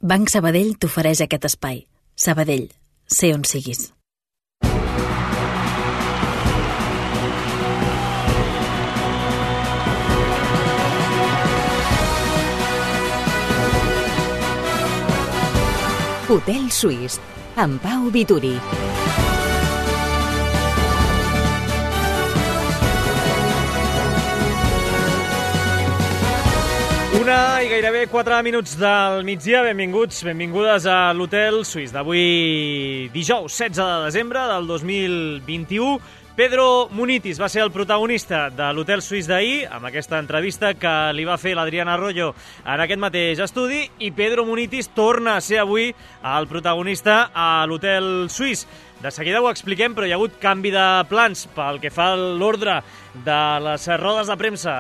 Banc Sabadell t'ofereix aquest espai. Sabadell, sé on siguis. Hotel Suís, amb Pau Vituri. Una i gairebé 4 minuts del migdia. Benvingudes a l'Hotel Suís d'avui dijous 16 de desembre del 2021. Pedro Munitis va ser el protagonista de l'Hotel Suís d'ahir, amb aquesta entrevista que li va fer l'Adriana Arroyo en aquest mateix estudi, i Pedro Munitis torna a ser avui el protagonista a l'Hotel Suís. De seguida ho expliquem, però hi ha hagut canvi de plans pel que fa a l'ordre de les rodes de premsa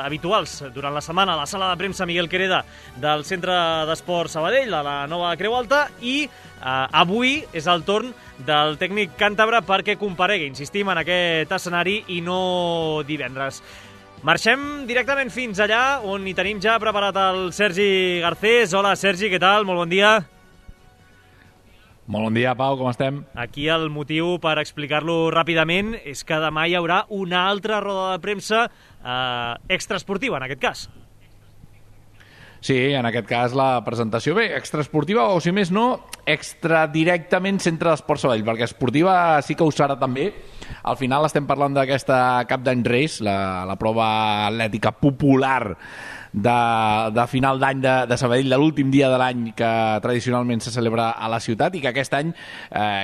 habituals durant la setmana a la sala de premsa Miguel Quereda del Centre d'Esport Sabadell, a la nova Creu Alta, i avui és el torn del tècnic càntabre perquè comparegui, insistim, en aquest escenari i no divendres. Marxem directament fins allà, on hi tenim ja preparat el Sergi Garcés. Hola, Sergi, què tal? Molt bon dia. Molt bon dia, Pau, com estem? Aquí el motiu, per explicar-lo ràpidament, és que demà hi haurà una altra roda de premsa extraesportiva, en aquest cas. Sí, en aquest cas la presentació, bé, extraesportiva o, si més no, extradirectament Centre d'Esport Sabadell, perquè esportiva sí que ho serà també. Al final estem parlant d'aquesta Cap d'Any Race, la prova atlètica popular de final d'any de Sabadell, de l'últim dia de l'any que tradicionalment se celebra a la ciutat, i que aquest any,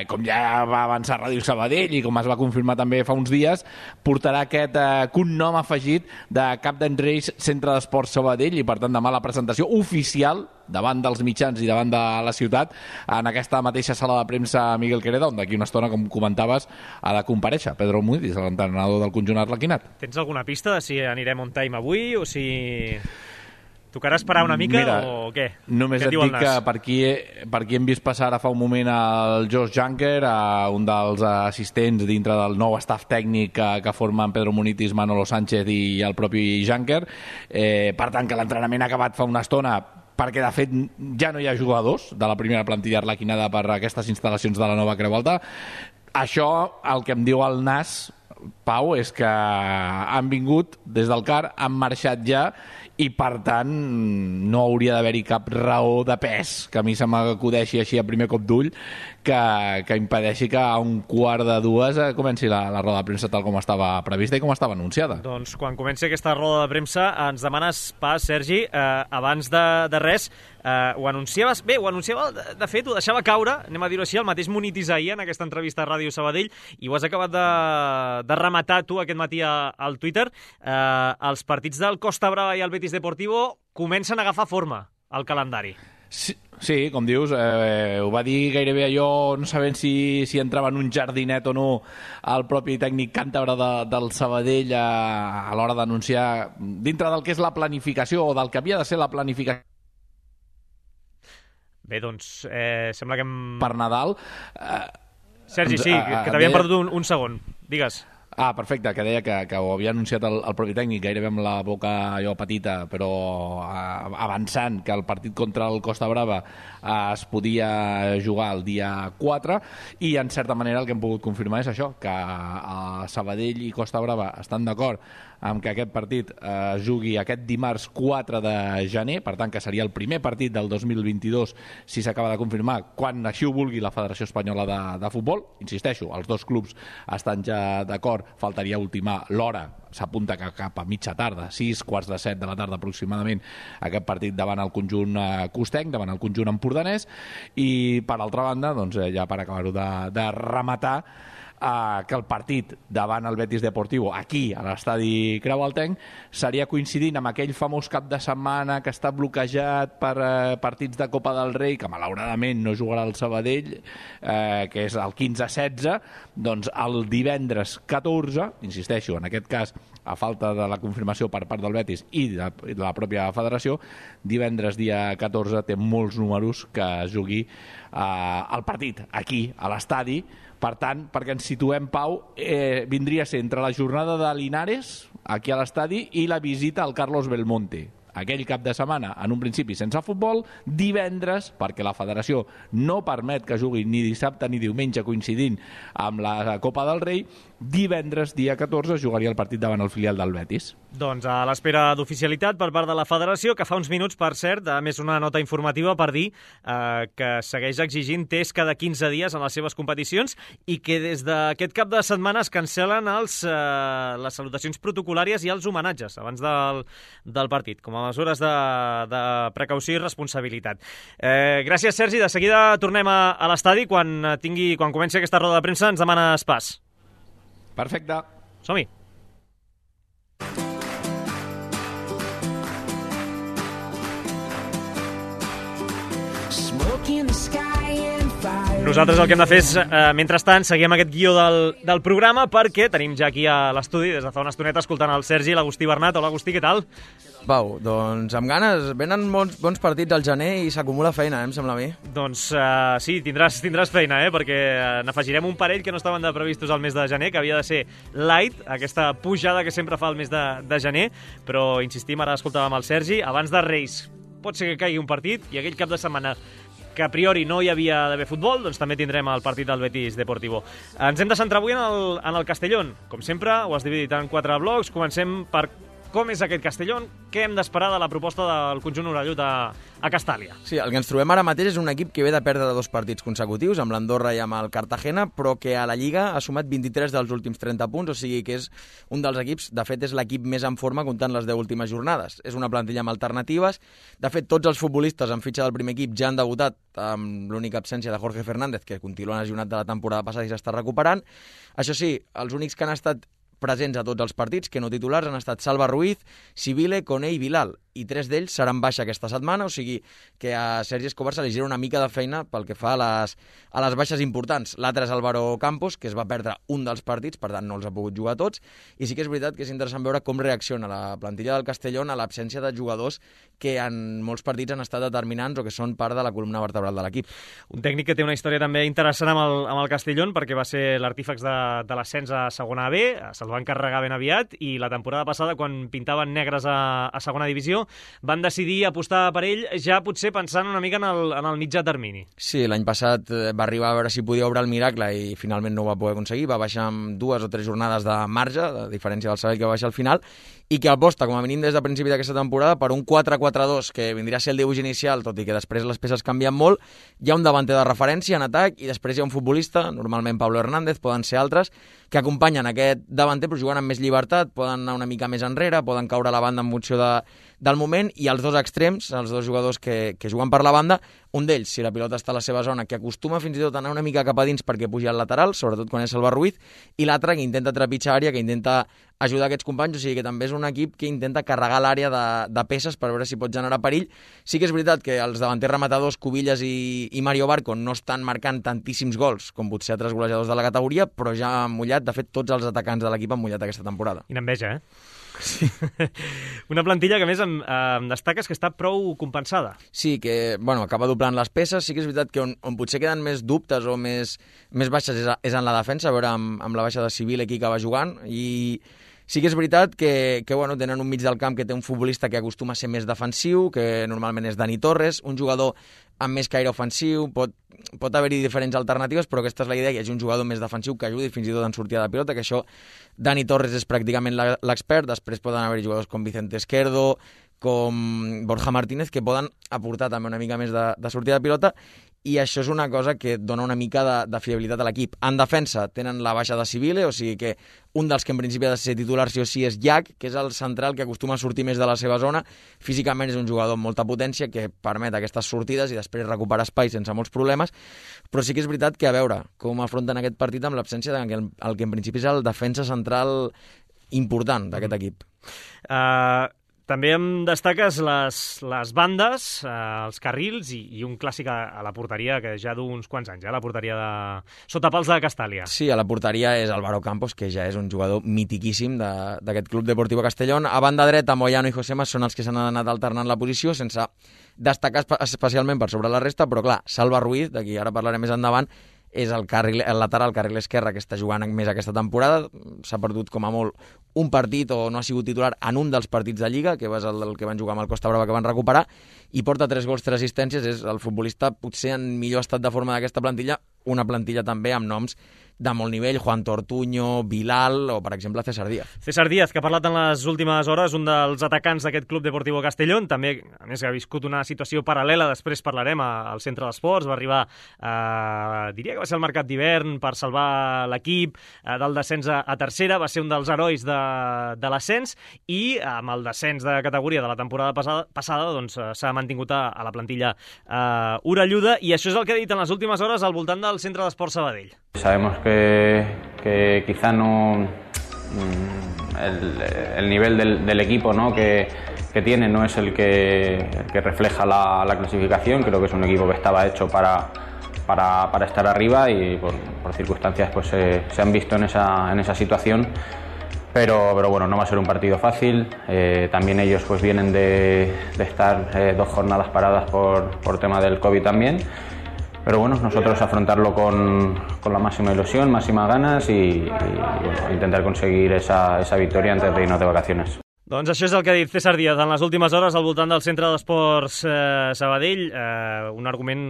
com ja va avançar Ràdio Sabadell i com es va confirmar també fa uns dies, portarà aquest cognom afegit de Cap d'Any Reis Centre d'Esport Sabadell, i per tant demà la presentació oficial davant dels mitjans i davant de la ciutat en aquesta mateixa sala de premsa Miguel Quereda, on d'aquí una estona, com comentaves, ha de comparèixer Pedro Munitis, l'entrenador del conjunt arlequinat. Tens alguna pista de si anirem on time avui o si tocarà esperar una mica? Mira, o què? Només què et dic que per aquí hem vist passar ara fa un moment el Josh Junker, un dels assistents dintre del nou staff tècnic que formen Pedro Munitis, Manolo Sánchez i el propi Junker. Per tant, que l'entrenament ha acabat fa una estona, perquè de fet ja no hi ha jugadors de la primera plantilla arlequinada per aquestes instal·lacions de la nova Creu Alta. Això, el que em diu el nas, Pau, és que han vingut des del CAR, han marxat ja, i per tant no hauria d'haver-hi cap raó de pes que a mi se m'acudeixi així a primer cop d'ull que impedeixi que a 1:45 comenci la roda de premsa tal com estava prevista i com estava anunciada. Doncs quan comenci aquesta roda de premsa ens demanes pas, Sergi, abans de res, ho anunciaves, de fet ho deixava caure, anem a dir-ho així, el mateix Munitis ahir en aquesta entrevista a Ràdio Sabadell, i ho has acabat de rematar tu aquest matí al Twitter. Els partits del Costa Brava i el Betis Deportivo comencen a agafar forma al calendari. Sí, com dius, ho va dir gairebé allò, no sabent si entrava en un jardinet o no el propi tècnic càntabre del Sabadell a l'hora d'anunciar dintre del que és la planificació o del que havia de ser la planificació. Bé, doncs, sembla que per Nadal. Sergi, sí, que t'havien perdut un segon. Digues. Perfecte, que deia que ho havia anunciat el propi tècnic, gairebé amb la boca allò petita, però avançant que el partit contra el Costa Brava es podia jugar el dia 4, i en certa manera el que hem pogut confirmar és això, que Sabadell i Costa Brava estan d'acord amb que aquest partit es jugui aquest dimarts 4 de gener, per tant que seria el primer partit del 2022 si s'acaba de confirmar, quan així ho vulgui la Federació Espanyola de Futbol. Insisteixo, els dos clubs estan ja d'acord, faltaria ultimar l'hora, s'apunta que cap a mitja tarda, 6:45 de la tarda aproximadament, aquest partit davant el conjunt costenc, davant el conjunt empordanès. I per altra banda, doncs, ja per acabar-ho de rematar, que el partit davant el Betis Deportivo aquí a l'estadi Creu Altenc seria coincidint amb aquell famós cap de setmana que està bloquejat per partits de Copa del Rei, que malauradament no jugarà el Sabadell, que és el 15-16, doncs el divendres 14, insisteixo, en aquest cas a falta de la confirmació per part del Betis i de la pròpia federació, divendres dia 14 té molts números que es jugui el partit aquí a l'estadi. Per tant, perquè ens situem, Pau, vindria a ser entre la jornada de Linares, aquí a l'estadi, i la visita al Carlos Belmonte, aquell cap de setmana, en un principi sense futbol, divendres, perquè la federació no permet que jugui ni dissabte ni diumenge coincidint amb la Copa del Rei, divendres, dia 14, jugaria el partit davant el filial del Betis. Doncs a l'espera d'oficialitat per part de la federació, que fa uns minuts, per cert, a més una nota informativa per dir que segueix exigint test cada 15 dies en les seves competicions i que des d'aquest cap de setmana es cancel·len les salutacions protocolàries i els homenatges abans del partit, com a mesures de precaució i responsabilitat. Gràcies, Sergi. De seguida tornem a l'estadi. Quan comenci aquesta roda de premsa ens demanes pas. Perfecte. Som-hi. Nosaltres el que hem de fer és, mentrestant, seguim aquest guió del programa perquè tenim ja aquí a l'estudi, des de fa una estoneta, escoltant el Sergi i l'Agustí Bernat. Hola, Agustí, què tal? Pau, doncs amb ganes. Venen bons partits al gener i s'acumula feina, em sembla a mi. Doncs sí, tindràs feina, perquè n'afegirem un parell que no estaven previstos al mes de gener, que havia de ser light, aquesta pujada que sempre fa el mes de gener, però insistim, ara escoltàvem el Sergi, abans de Reis pot ser que caigui un partit i aquell cap de setmana que a priori no hi havia d'haver futbol, doncs també tindrem el partit del Betis Deportivo. Ens hem de centrar avui en el Castellón. Com sempre, ho has dividit en 4 blocs. Comencem per com és aquest Castellón, què hem d'esperar de la proposta del conjunt orellut a Castàlia. Sí, el que ens trobem ara mateix és un equip que ve de perdre 2 partits consecutius, amb l'Andorra i amb el Cartagena, però que a la Lliga ha sumat 23 dels últims 30 punts, o sigui que és un dels equips, de fet és l'equip més en forma comptant les 10 últimes jornades. És una plantilla amb alternatives, de fet tots els futbolistes en fitxa del primer equip ja han debutat amb l'única absència de Jorge Fernández, que continua lesionat de la temporada passada i s'està recuperant. Això sí, els únics que han estat presents a tots els partits, que no titulars, han estat Salva Ruiz, Sibile, Koné i Bilal, i 3 d'ells seran baixa aquesta setmana, o sigui que a Sergi Escobar se li gira una mica de feina pel que fa a les baixes importants. L'altre és Álvaro Campos, que es va perdre un dels partits, per tant no els ha pogut jugar tots, i sí que és veritat que és interessant veure com reacciona la plantilla del Castellón a l'absència de jugadors que en molts partits han estat determinants o que són part de la columna vertebral de l'equip. Un tècnic que té una història també interessant amb el Castellón, perquè va ser l'artífex de l'ascens a segona B, se'l va encarregar ben aviat, i la temporada passada, quan pintaven negres a segona divisió, van decidir apostar per ell, ja potser pensant una mica en el mitjà termini. Sí, l'any passat va arribar a veure si podia obrar el miracle i finalment no ho va poder aconseguir, va baixar amb 2 o 3 jornades de marge, a diferència del Sabadell que va baixar al final, i que aposta, com a mínim des de principi d'aquesta temporada, per un 4-4-2, que vindria a ser el dibuix inicial, tot i que després les peces canvien molt. Hi ha un davanter de referència en atac i després hi ha un futbolista, normalment Pablo Hernández, poden ser altres, que acompanyen aquest davanter però juguen amb més llibertat, poden anar una mica més enrere, poden caure a la banda en funció del moment, i els 2 extrems, els 2 jugadors que juguen per la banda, un d'ells, si la pilota està a la seva zona, que acostuma fins i tot a anar una mica cap a dins perquè pugi al lateral, sobretot quan és Salva Ruiz, i l'altre que intenta trepitjar àrea, que intenta ajudar aquests companys, o sigui que també és un equip que intenta carregar l'àrea de peces per veure si pot generar perill. Sí que és veritat que els davanters rematadors, Cubillas i Mario Barco, no estan marcant tantíssims gols com potser altres golejadors de la categoria, però ja han mullat, de fet tots els atacants de l'equip han mullat aquesta temporada. Quina enveja, Sí. Una plantilla que a més em destaques que està prou compensada. Sí, que acaba doblant les peces. Sí que és veritat que on potser queden més dubtes o més baixes és en la defensa, a veure amb la baixa de Sibile qui acaba jugant, i sí que és veritat que tenen un mig del camp que té un futbolista que acostuma a ser més defensiu, que normalment és Dani Torres, un jugador amb més caire ofensiu, pot haver-hi diferents alternatives, però aquesta és la idea, que hi hagi un jugador més defensiu que ajudi fins i tot en sortida de pilota, que això Dani Torres és pràcticament l'expert. Després poden haver-hi jugadors com Vicente Esquerdo, com Borja Martínez, que poden aportar també una mica més de sortida de pilota, i això és una cosa que dona una mica de fiabilitat a l'equip. En defensa tenen la baixa de Sibile, o sigui que un dels que en principi ha de ser titular sí o sí és Llach, que és el central que acostuma a sortir més de la seva zona. Físicament és un jugador amb molta potència que permet aquestes sortides i després recuperar espai sense molts problemes, però sí que és veritat que a veure com afronten aquest partit amb l'absència del que en principi és el defensa central important d'aquest equip. També em destaques les bandes, els carrils i un clàssic a la porteria que ja d'uns quants anys, la porteria sota pals de Castàlia. Sí, a la porteria és Álvaro Campos, que ja és un jugador mitiquíssim d'aquest Club Deportivo Castellón. A banda dreta, Moyano i Josema són els que s'han anat alternant la posició, sense destacar especialment per sobre la resta, però clar, Salva Ruiz, d'aquí ara parlarem més endavant, és el lateral, el carril esquerre, que està jugant més aquesta temporada. S'ha perdut com a molt un partit o no ha sigut titular en un dels partits de Lliga, que va ser el que van jugar amb el Costa Brava, que van recuperar, i porta 3 gols, 3 assistències. És el futbolista potser en millor estat de forma d'aquesta plantilla, una plantilla també amb noms de molt nivell, Juan Tortuño, Bilal o, per exemple, César Díaz. César Díaz, que ha parlat en les últimes hores, un dels atacants d'aquest Club Deportivo Castellón, també, a més, ha viscut una situació paral·lela, després parlarem, al centre d'esports, va arribar, diria que va ser el mercat d'hivern per salvar l'equip del descens a tercera, va ser un dels herois de l'ascens i amb el descens de categoria de la temporada passada doncs, s'ha mantingut a la plantilla orelluda, i això és el que ha dit en les últimes hores al voltant del centre d'esports Sabadell. Sabemos que quizá no el nivel del equipo, ¿no? que tiene no es el que refleja la clasificación. Creo que es un equipo que estaba hecho para estar arriba y por circunstancias pues se han visto en esa situación. Pero bueno, no va a ser un partido fácil. También ellos pues vienen de estar 2 jornadas paradas por tema del COVID también. Pero bueno, nosotros afrontarlo con la máxima ilusión, máximas ganas y bueno, intentar conseguir esa victoria antes de irnos de vacaciones. Doncs això és el que ha dit César Díaz en les últimes hores al voltant del centre d'esports Sabadell. Un argument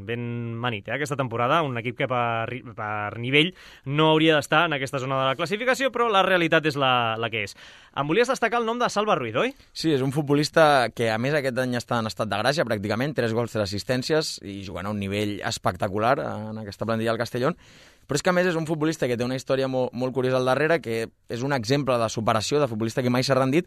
ben manit, aquesta temporada. Un equip que per nivell no hauria d'estar en aquesta zona de la classificació, però la realitat és la que és. Em volies destacar el nom de Salva Ruiz, oi? Sí, és un futbolista que a més aquest any està en estat de gràcia pràcticament, 3 gols, 3 assistències i jugant a un nivell espectacular en aquesta plantilla del Castellón. Però és que, a més, és un futbolista que té una història molt curiosa al darrere, que és un exemple de superació, de futbolista que mai s'ha rendit,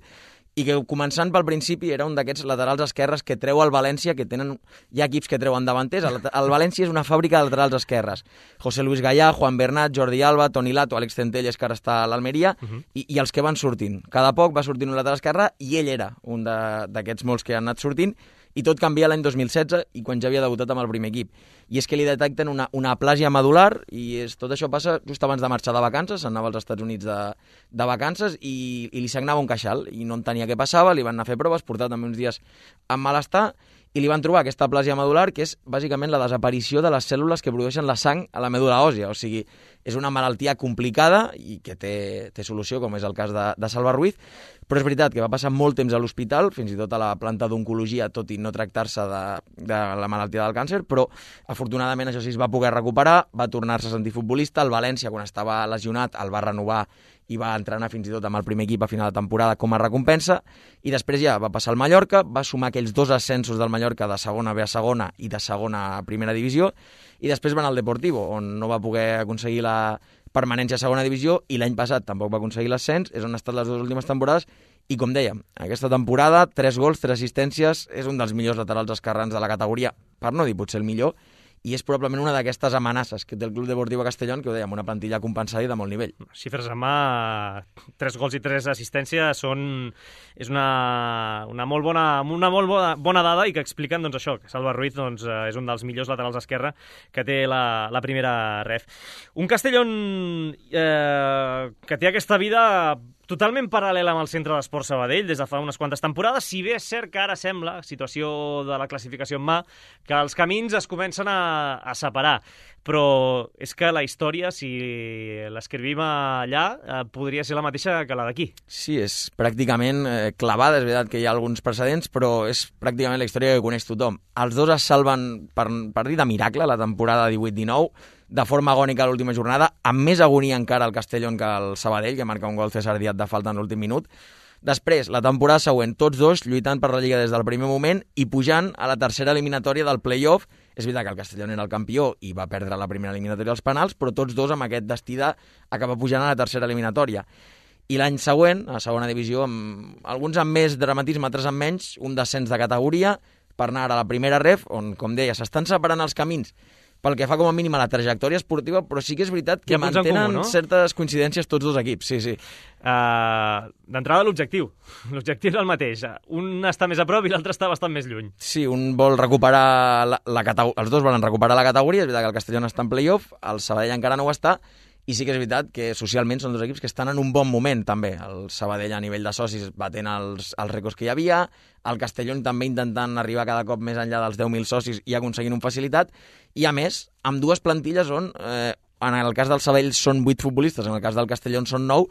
i que, començant pel principi, era un d'aquests laterals esquerres que treu el València, que tenen... Hi ha equips que treuen davanters. El València és una fàbrica de laterals esquerres. José Luis Gallà, Juan Bernat, Jordi Alba, Toni Lato, Àlex Centelles, que ara està a l'Almeria, i els que van sortint. Cada poc va sortint un lateral esquerre, i ell era un d'aquests molts que han anat sortint, i tot canvia l'any 2016 i quan ja havia debutat amb el primer equip. I és que li detecten una aplàsia medular i tot això passa just abans de marxar de vacances, anava als Estats Units de vacances i li sagnava un queixal i no entenia què passava, li van anar a fer proves, portar també uns dies amb malestar i li van trobar aquesta aplàsia medular, que és bàsicament la desaparició de les cèl·lules que produeixen la sang a la medul·la òssia. O sigui, és una malaltia complicada i que té solució, com és el cas de Salva Ruiz, però és veritat que va passar molt temps a l'hospital, fins i tot a la planta d'oncologia, tot i no tractar-se de la malaltia del càncer, però afortunadament això sí es va poder recuperar, va tornar-se a sentir futbolista. El València, quan estava lesionat, el va renovar i va entrenar fins i tot amb el primer equip a final de temporada com a recompensa, i després ja va passar al Mallorca, va sumar aquells 2 ascensos del Mallorca de segona B a segona i de segona a primera divisió, i després va anar al Deportivo, on no va poder aconseguir la permanència a segona divisió, i l'any passat tampoc va aconseguir l'ascens, és on ha estat les 2 últimes temporades, i com dèiem, aquesta temporada, 3 gols, 3 assistències, és un dels millors laterals esquerrans de la categoria, per no dir potser el millor, i és probablement una d'aquestes amenaces que té el Club Deportivo Castellón, que ho dèiem, una plantilla compensada i de molt nivell. Xifres en mà, 3 gols i 3 assistències és una molt bona dada i que expliquen doncs, això, que Salva Ruiz doncs, és un dels millors laterals esquerra que té la primera ref. Un Castellón que té aquesta vida totalment paral·lela amb el centre d'esports Sabadell des de fa unes quantes temporades, si bé és cert que ara sembla, situació de la classificació en mà, que els camins es comencen a separar. Però és que la història, si l'escrivim allà, podria ser la mateixa que la d'aquí. Sí, és pràcticament clavada, és veritat que hi ha alguns precedents, però és pràcticament la història que coneix tothom. Els 2 es salven, per dir de miracle, la temporada 18-19, de forma agònica a l'última jornada, amb més agonia encara el Castellón que el Sabadell, que marca un gol César Díaz de falta en l'últim minut. Després, la temporada següent, tots 2 lluitant per la Lliga des del primer moment i pujant a la tercera eliminatòria del play-off. És veritat que el Castellón era el campió i va perdre la primera eliminatòria als penals, però tots 2 amb aquest destí d'acabar pujant a la tercera eliminatòria. I l'any següent, a segona divisió, alguns amb més dramatisme, altres amb menys, un descens de categoria per anar a la primera ref, on, com deia, s'estan separant els camins pel que fa com a mínim a la trajectòria esportiva, però sí que és veritat que mantenen comú, no? Certes coincidències tots 2 equips, sí. D'entrada, l'objectiu. L'objectiu és el mateix. Un està més a prop i l'altre està bastant més lluny. Sí, un vol recuperar la categoria, els 2 volen recuperar la categoria, és veritat que el Castellón està en play-off, el Sabadell encara no ho està, i sí que és veritat que socialment són 2 equips que estan en un bon moment, també. El Sabadell a nivell de socis batent els rècords que hi havia, el Castellón també intentant arribar cada cop més enllà dels 10.000 socis i aconseguint un facilitat, i a més, amb 2 plantilles on, en el cas del Sabadell són 8 futbolistes, en el cas del Castellón són 9,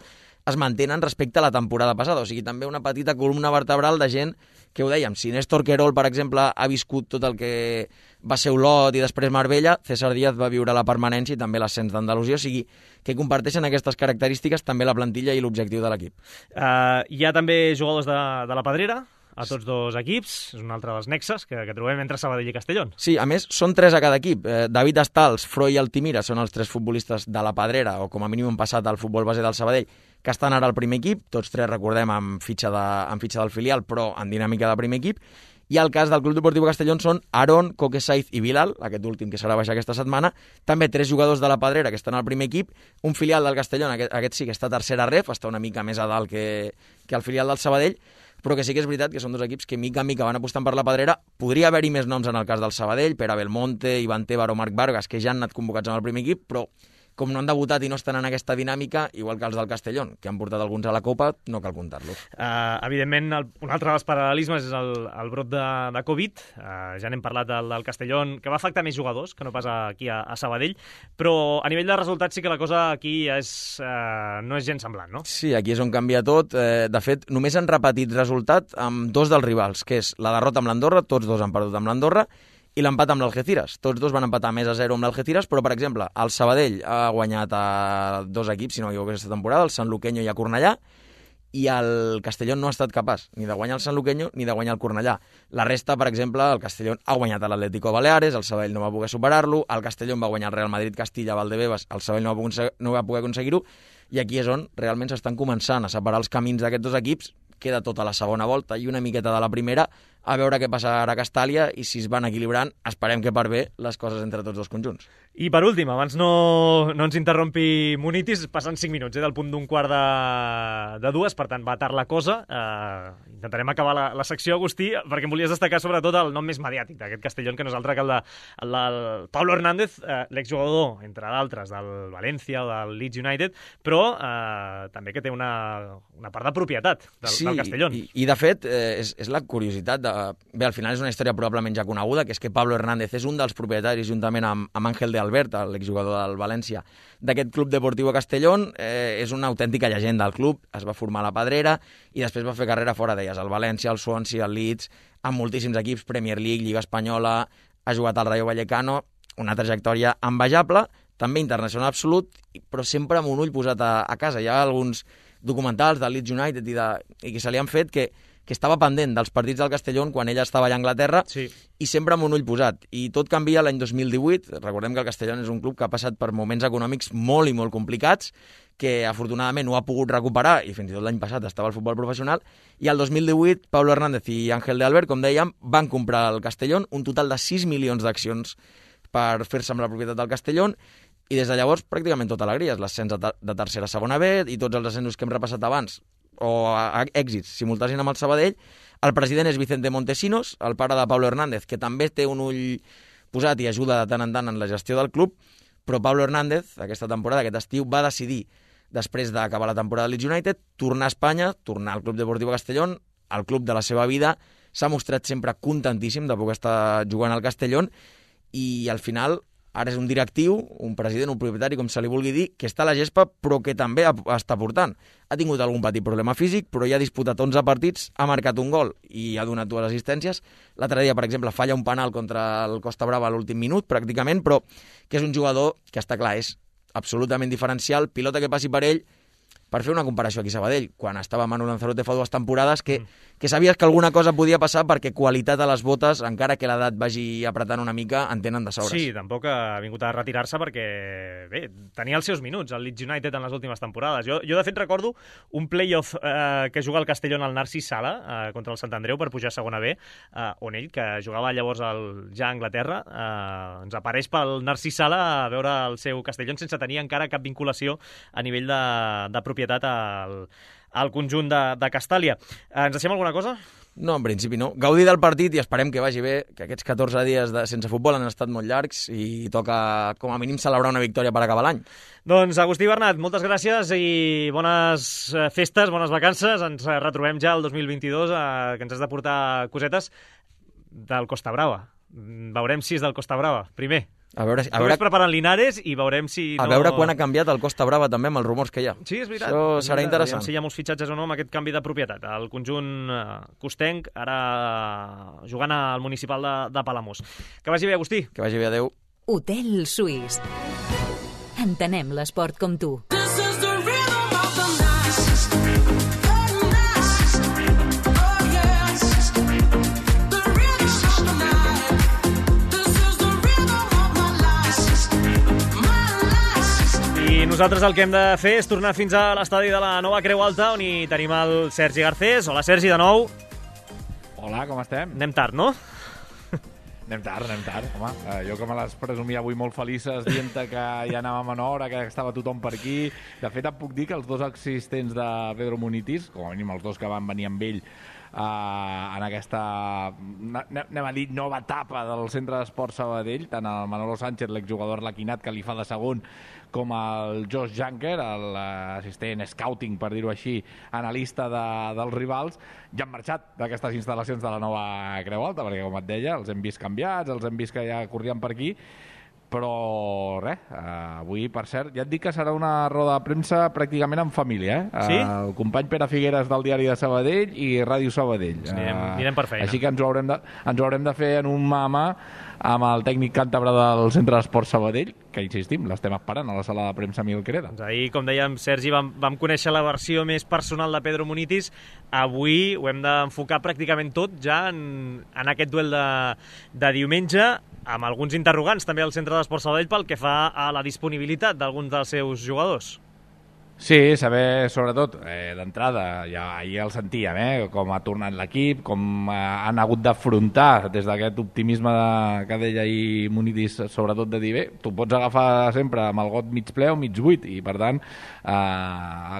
es mantenen respecte a la temporada passada. O sigui, també una petita columna vertebral de gent que ho dèiem. Si Néstor Querol, per exemple, ha viscut tot el que va ser Olot i després Marbella, César Díaz va viure la permanència i també l'ascens d'Andalusia. O sigui, que comparteixen aquestes característiques també la plantilla i l'objectiu de l'equip. Hi ha també jugadors de la Pedrera a tots dos equips, és un altre dels nexes que trobem entre Sabadell i Castellón. Sí, a més, són 3 a cada equip. David Estals, Froy i Altimira són els 3 futbolistes de la Pedrera, o com a mínim han passat al futbol base del Sabadell, que estan ara al primer equip, tots 3, recordem, amb fitxa del filial, però en dinàmica de primer equip. I el cas del Club Deportiu Castellón són Aaron, Coque Saiz i Bilal, aquest últim que serà baixar aquesta setmana, també 3 jugadors de la Pedrera que estan al primer equip, un filial del Castellón, aquest sí que està a tercera ref, està una mica més a dalt que el filial del Sabadell, però que sí que és veritat que són 2 equips que mica en mica van apostant per la Pedrera. Podria haver-hi més noms en el cas del Sabadell, Pere Belmonte, Ivan Tébar o Marc Vargas, que ja han anat convocats en el primer equip, però com no han debutat i no estan en aquesta dinàmica, igual que els del Castellón, que han portat alguns a la Copa, no cal comptar-los. Evidentment, un altre dels paral·lelismes és el brot de Covid. Ja n'hem parlat del Castellón, que va afectar més jugadors que no pas aquí a Sabadell, però a nivell de resultats sí que la cosa aquí no és gens semblant, no? Sí, aquí és on canvia tot. De fet, només han repetit resultat amb 2 dels rivals, que és la derrota amb l'Andorra, tots 2 han perdut amb l'Andorra, i l'empat amb l'Algeciras. Tots 2 van empatar més a 0 amb l'Algeciras, però, per exemple, el Sabadell ha guanyat a 2 equips, si no m'equivoco, aquesta temporada, el Sanluqueño i a Cornellà, i el Castellón no ha estat capaç ni de guanyar el Sanluqueño ni de guanyar el Cornellà. La resta, per exemple, el Castellón ha guanyat a l'Atlético Baleares, el Sabadell no va poder superar-lo, el Castellón va guanyar el Real Madrid Castilla a Valdebebas, el Sabadell no va poder aconseguir-ho, i aquí és on realment s'estan començant a separar els camins d'aquests 2 equips. Queda tota la segona volta i una miqueta de la primera, a veure què passa ara a Castàlia, i si es van equilibrant, esperem que per bé les coses entre tots 2 conjunts. I per últim, abans no ens interrompi Munitis, passant 5 minuts del punt d'un quart de 2, per tant va tard la cosa. Intentarem acabar la secció, Agustí, perquè em volies destacar sobretot el nom més mediàtic d'aquest Castellón, que no és altre que el de Pablo Hernández, l'exjugador, entre d'altres, del València o del Leeds United, però també que té una part de propietat del Castellón. I de fet, és la curiositat bé, al final és una història probablement ja coneguda, que és que Pablo Hernández és un dels propietaris, juntament amb Ángel de Albert, l'exjugador del València, d'aquest Club Deportiu Castellón. És una autèntica llegenda del club, es va formar a la Pedrera i després va fer carrera fora d'elles, el València, el Swansea, el Leeds, amb moltíssims equips, Premier League, Lliga Espanyola, ha jugat al Rayo Vallecano, una trajectòria envejable, també internacional absolut, però sempre amb un ull posat a casa. Hi ha alguns documentals del Leeds United i que se li han fet que estava pendent dels partits del Castellón quan ella estava allà a Anglaterra, sí, i sempre amb un ull posat. I tot canvia l'any 2018. Recordem que el Castellón és un club que ha passat per moments econòmics molt i molt complicats, que afortunadament ho ha pogut recuperar, i fins i tot l'any passat estava al futbol professional, i el 2018 Pablo Hernández i Ángel de Albert, com dèiem, van comprar el Castellón, un total de 6 milions d'accions per fer-se amb la propietat del Castellón, i des de llavors pràcticament tot alegries, l'ascens de tercera a segona B i tots els ascensos que hem repassat abans, o èxits simultanis amb el Sabadell. El president és Vicente Montesinos, el pare de Pablo Hernández, que també té un ull posat i ajuda de tant en tant en la gestió del club, però Pablo Hernández, aquesta temporada, aquest estiu, va decidir, després d'acabar la temporada de Leeds United, tornar a Espanya, tornar al Club Deportiu Castellón, al club de la seva vida. S'ha mostrat sempre contentíssim de poder estar jugant al Castellón, i al final ara és un directiu, un president, un propietari, com se li vulgui dir, que està a la gespa, però que també està portant. Ha tingut algun petit problema físic, però ja ha disputat 11 partits, ha marcat un gol i ha donat 2 assistències. L'altre dia, per exemple, falla un penal contra el Costa Brava a l'últim minut, pràcticament, però que és un jugador que, està clar, és absolutament diferencial. Pilota que passi per ell, per fer una comparació aquí a Sabadell, quan estava Manu Lanzarote fa 2 temporades, que sabies que alguna cosa podia passar perquè qualitat a les botes, encara que l'edat vagi apretant una mica, en tenen de sobres. Sí, tampoc ha vingut a retirar-se perquè, bé, tenia els seus minuts, el Leeds United en les últimes temporades. Jo de fet, recordo un play-off que juga el Castellón al Narcís Sala contra el Sant Andreu per pujar a segona B, on ell, que jugava llavors ja a Anglaterra, ens apareix pel Narcís Sala a veure el seu Castellón sense tenir encara cap vinculació a nivell de propietat al conjunt de Castàlia. Ens deixem alguna cosa? No, en principi no. Gaudir del partit i esperem que vagi bé, que aquests 14 dies sense futbol han estat molt llargs i toca, com a mínim, celebrar una victòria per acabar l'any. Doncs, Agustí Bernat, moltes gràcies i bones festes, bones vacances. Ens retrobem ja el 2022, que ens has de portar cosetes del Costa Brava. Veurem si és del Costa Brava, primer. A veure, Només preparant Linares i veurem si a veure quan ha canviat el Costa Brava també amb els rumors que hi ha. Sí, és veritat. Això serà interessant. Si hi ha molts fitxatges o no amb aquest canvi de propietat. El conjunt costenc, ara jugant al municipal de Palamós. Que vagi bé, Agustí. Que vagi bé, adeu. Hotel Suís. Entenem l'esport com tu. I nosaltres el que hem de fer és tornar fins a l'estadi de la Nova Creu Alta, on hi tenim el Sergi Garcés. Hola, Sergi, de nou. Hola, com estem? Anem tard, no? Anem tard, home. Jo que me les presumia avui molt felices dient que ja anàvem en hora, que estava tothom per aquí. De fet, et puc dir que els dos assistents de Pedro Munitis, com a mínim els dos que van venir amb ell en aquesta, anem a dir, nova etapa del Centre d'Esport Sabadell, tant el Manolo Sánchez, l'exjugador laquinat que li fa de segon, com el Josh Junker, l'assistent scouting, per dir-ho així, analista dels rivals, ja han marxat d'aquestes instal·lacions de la Nova Creu Alta, perquè, com et deia, els hem vist canviats, els hem vist que ja corrien per aquí, però res, avui, per cert, ja et dic que serà una roda de premsa pràcticament en família, Sí? El company Pere Figueres del Diari de Sabadell i Ràdio Sabadell. Anirem per feina. Així que ens ho haurem de fer en un mà a mà amb el tècnic càntabre del Centre d'Esport Sabadell, que insistim, l'estem esperant a la sala de premsa Miguel Quereda. Doncs ahir, com dèiem, Sergi, vam conèixer la versió més personal de Pedro Munitis. Avui ho hem d'enfocar pràcticament tot ja en aquest duel de diumenge, amb alguns interrogants també al Centre d'Esport Sabadell pel que fa a la disponibilitat d'alguns dels seus jugadors. Sí, saber, sobretot, d'entrada, ja ahir el sentíem, com ha tornat l'equip, com han hagut d'afrontar des d'aquest optimisme que deia ahir Munitis, sobretot de dir, bé, tu pots agafar sempre amb el got mig ple o mig buit, i per tant,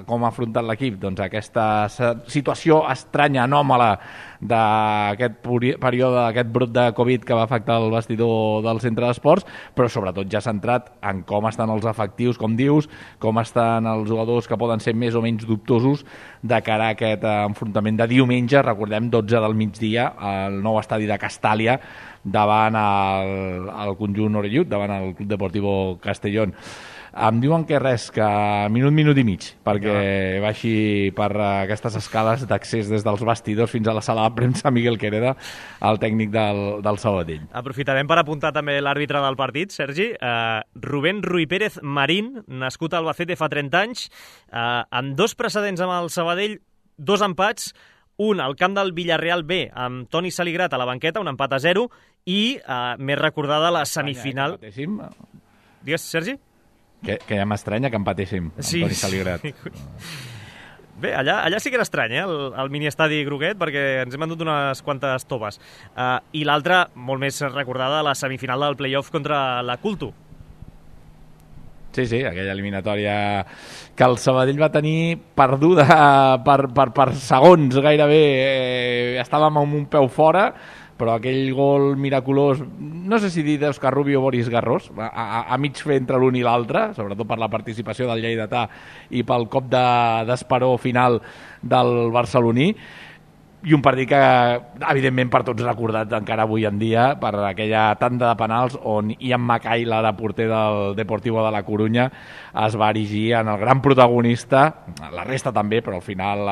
com ha afrontat l'equip? Doncs aquesta situació estranya, anòmala, d'aquest període, d'aquest brot de Covid que va afectar el vestidor del Centre d'Esports, però sobretot ja centrat en com estan els efectius, com dius, com estan els jugadors que poden ser més o menys dubtosos de cara a aquest enfrontament de diumenge, recordem, 12 del migdia, al nou estadi de Castàlia, davant el conjunt orellut, davant el Club Deportivo Castellón. Em diuen que res, que minut i mig, perquè baixi per aquestes escales d'accés des dels vestidors fins a la sala de premsa Miguel Quereda, el tècnic del Sabadell. Aprofitarem per apuntar també l'àrbitre del partit, Sergi. Rubén Ruy Pérez Marín, nascut a Albacete fa 30 anys, amb dos precedents amb el Sabadell, dos empats, un al camp del Villarreal B, amb Toni Saligrat a la banqueta, un empat a 0, i més recordada la semifinal... Digues, Sergi? Que ja m'estranya que empatéssim amb Toni Saligrat. Bé, allà sí que era estrany, el miniestadi Groguet, perquè ens hem endut unes quantes toves. I l'altra, molt més recordada, la semifinal del play-off contra la Culto. Sí, aquella eliminatòria que el Sabadell va tenir perduda per segons gairebé. Estàvem amb un peu fora, però aquell gol miraculós, no sé si dir d'Òscar Rubio o Boris Garrós, a mig fer entre l'un i l'altre, sobretot per la participació del lleidatà i pel cop d'esperó final del barceloní, i un partit que, evidentment, per tots recordat encara avui en dia, per aquella tanda de penals on Ian Mackay, l'ara porter del Deportivo de la Corunya, es va erigir en el gran protagonista, la resta també, però al final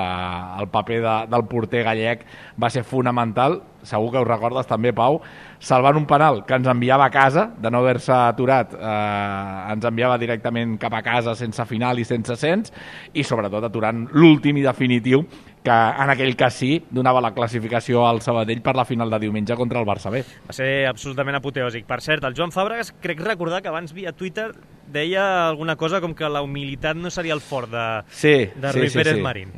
el paper del porter gallec va ser fonamental, segur que ho recordes també, Pau, salvant un penal que ens enviava a casa, de no haver-se aturat, ens enviava directament cap a casa sense final i sense ascens, i sobretot aturant l'últim i definitiu, que en aquell cas sí, donava la classificació al Sabadell per la final de diumenge contra el Barça B. Va ser absolutament apoteòsic. Per cert, el Joan Fàbregas, crec recordar que abans via Twitter deia alguna cosa com que la humilitat no seria el fort de Ruy Pérez Marín.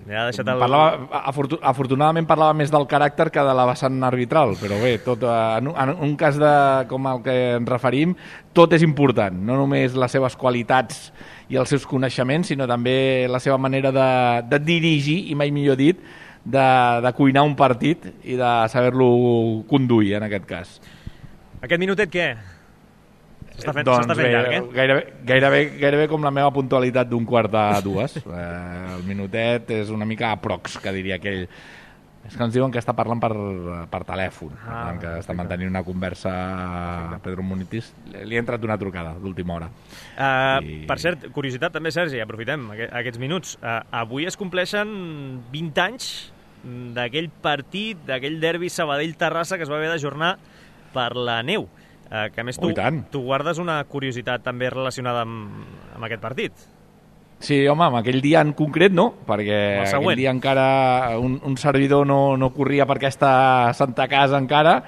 Ja afortunadament parlava més del caràcter que de la vessant arbitral, però bé, tot, en un cas com el que ens referim, tot és important, no només les seves qualitats i els seus coneixements, sinó també la seva manera de dirigir, i mai millor dit, de cuinar un partit i de saber-lo conduir, en aquest cas. Aquest minutet què? S'està fent llarg, Gairebé com la meva puntualitat d'1:45. El minutet és una mica aprox, que diria aquell. És que ens diuen que està parlant per telèfon, que està mantenint una conversa a Pedro Munitis. Li ha entrat una trucada d'última hora. Per cert, curiositat també, Sergi, aprofitem aquests minuts. Avui es compleixen 20 anys d'aquell partit, d'aquell derbi Sabadell-Terrassa que es va haver d'ajornar per la neu. Que a més tu guardes una curiositat també relacionada amb aquest partit. Sí, home, amb aquell dia en concret no, perquè aquell dia encara un servidor no corria per aquesta santa casa encara,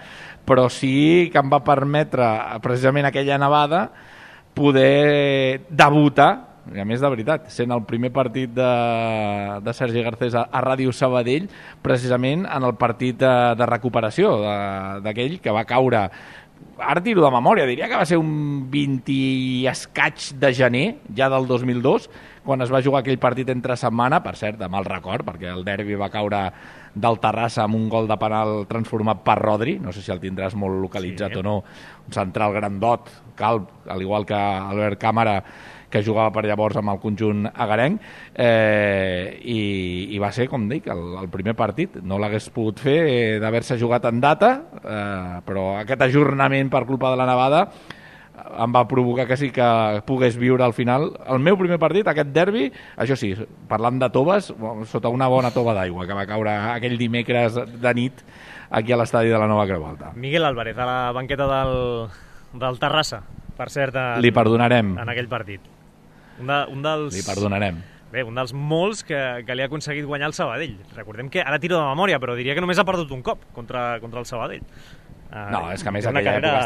però sí que em va permetre, precisament aquella nevada, poder debutar, i a més de veritat, sent el primer partit de Sergi Garcés a Ràdio Sabadell, precisament en el partit de recuperació d'aquell que va caure. Ara tiro de memòria, diria que va ser un 20 i escaig de gener, ja del 2002, quan es va jugar aquell partit entre setmana, per cert, de mal record, perquè el derbi va caure del Terrassa amb un gol de penal transformat per Rodri, no sé si el tindràs molt localitzat o no, un central grandot, calb, al igual que Albert Càmara, que jugava per llavors amb el conjunt agarenc, i va ser, com dic, el primer partit. No l'hagués pogut fer d'haver-se jugat en data, però aquest ajornament per culpa de la nevada em va provocar que sí que pogués viure al final el meu primer partit, aquest derbi, això sí, parlant de toves, sota una bona tova d'aigua que va caure aquell dimecres de nit aquí a l'estadi de la Nova Creu Alta. Miguel Álvarez, a la banqueta del Terrassa, per cert, li perdonarem en aquell partit. Un dels... Li perdonarem. Bé, un dels molts que li ha aconseguit guanyar el Sabadell. Recordem que ara tiro de memòria, però diria que només ha perdut un cop contra el Sabadell. No, és que a més aquella època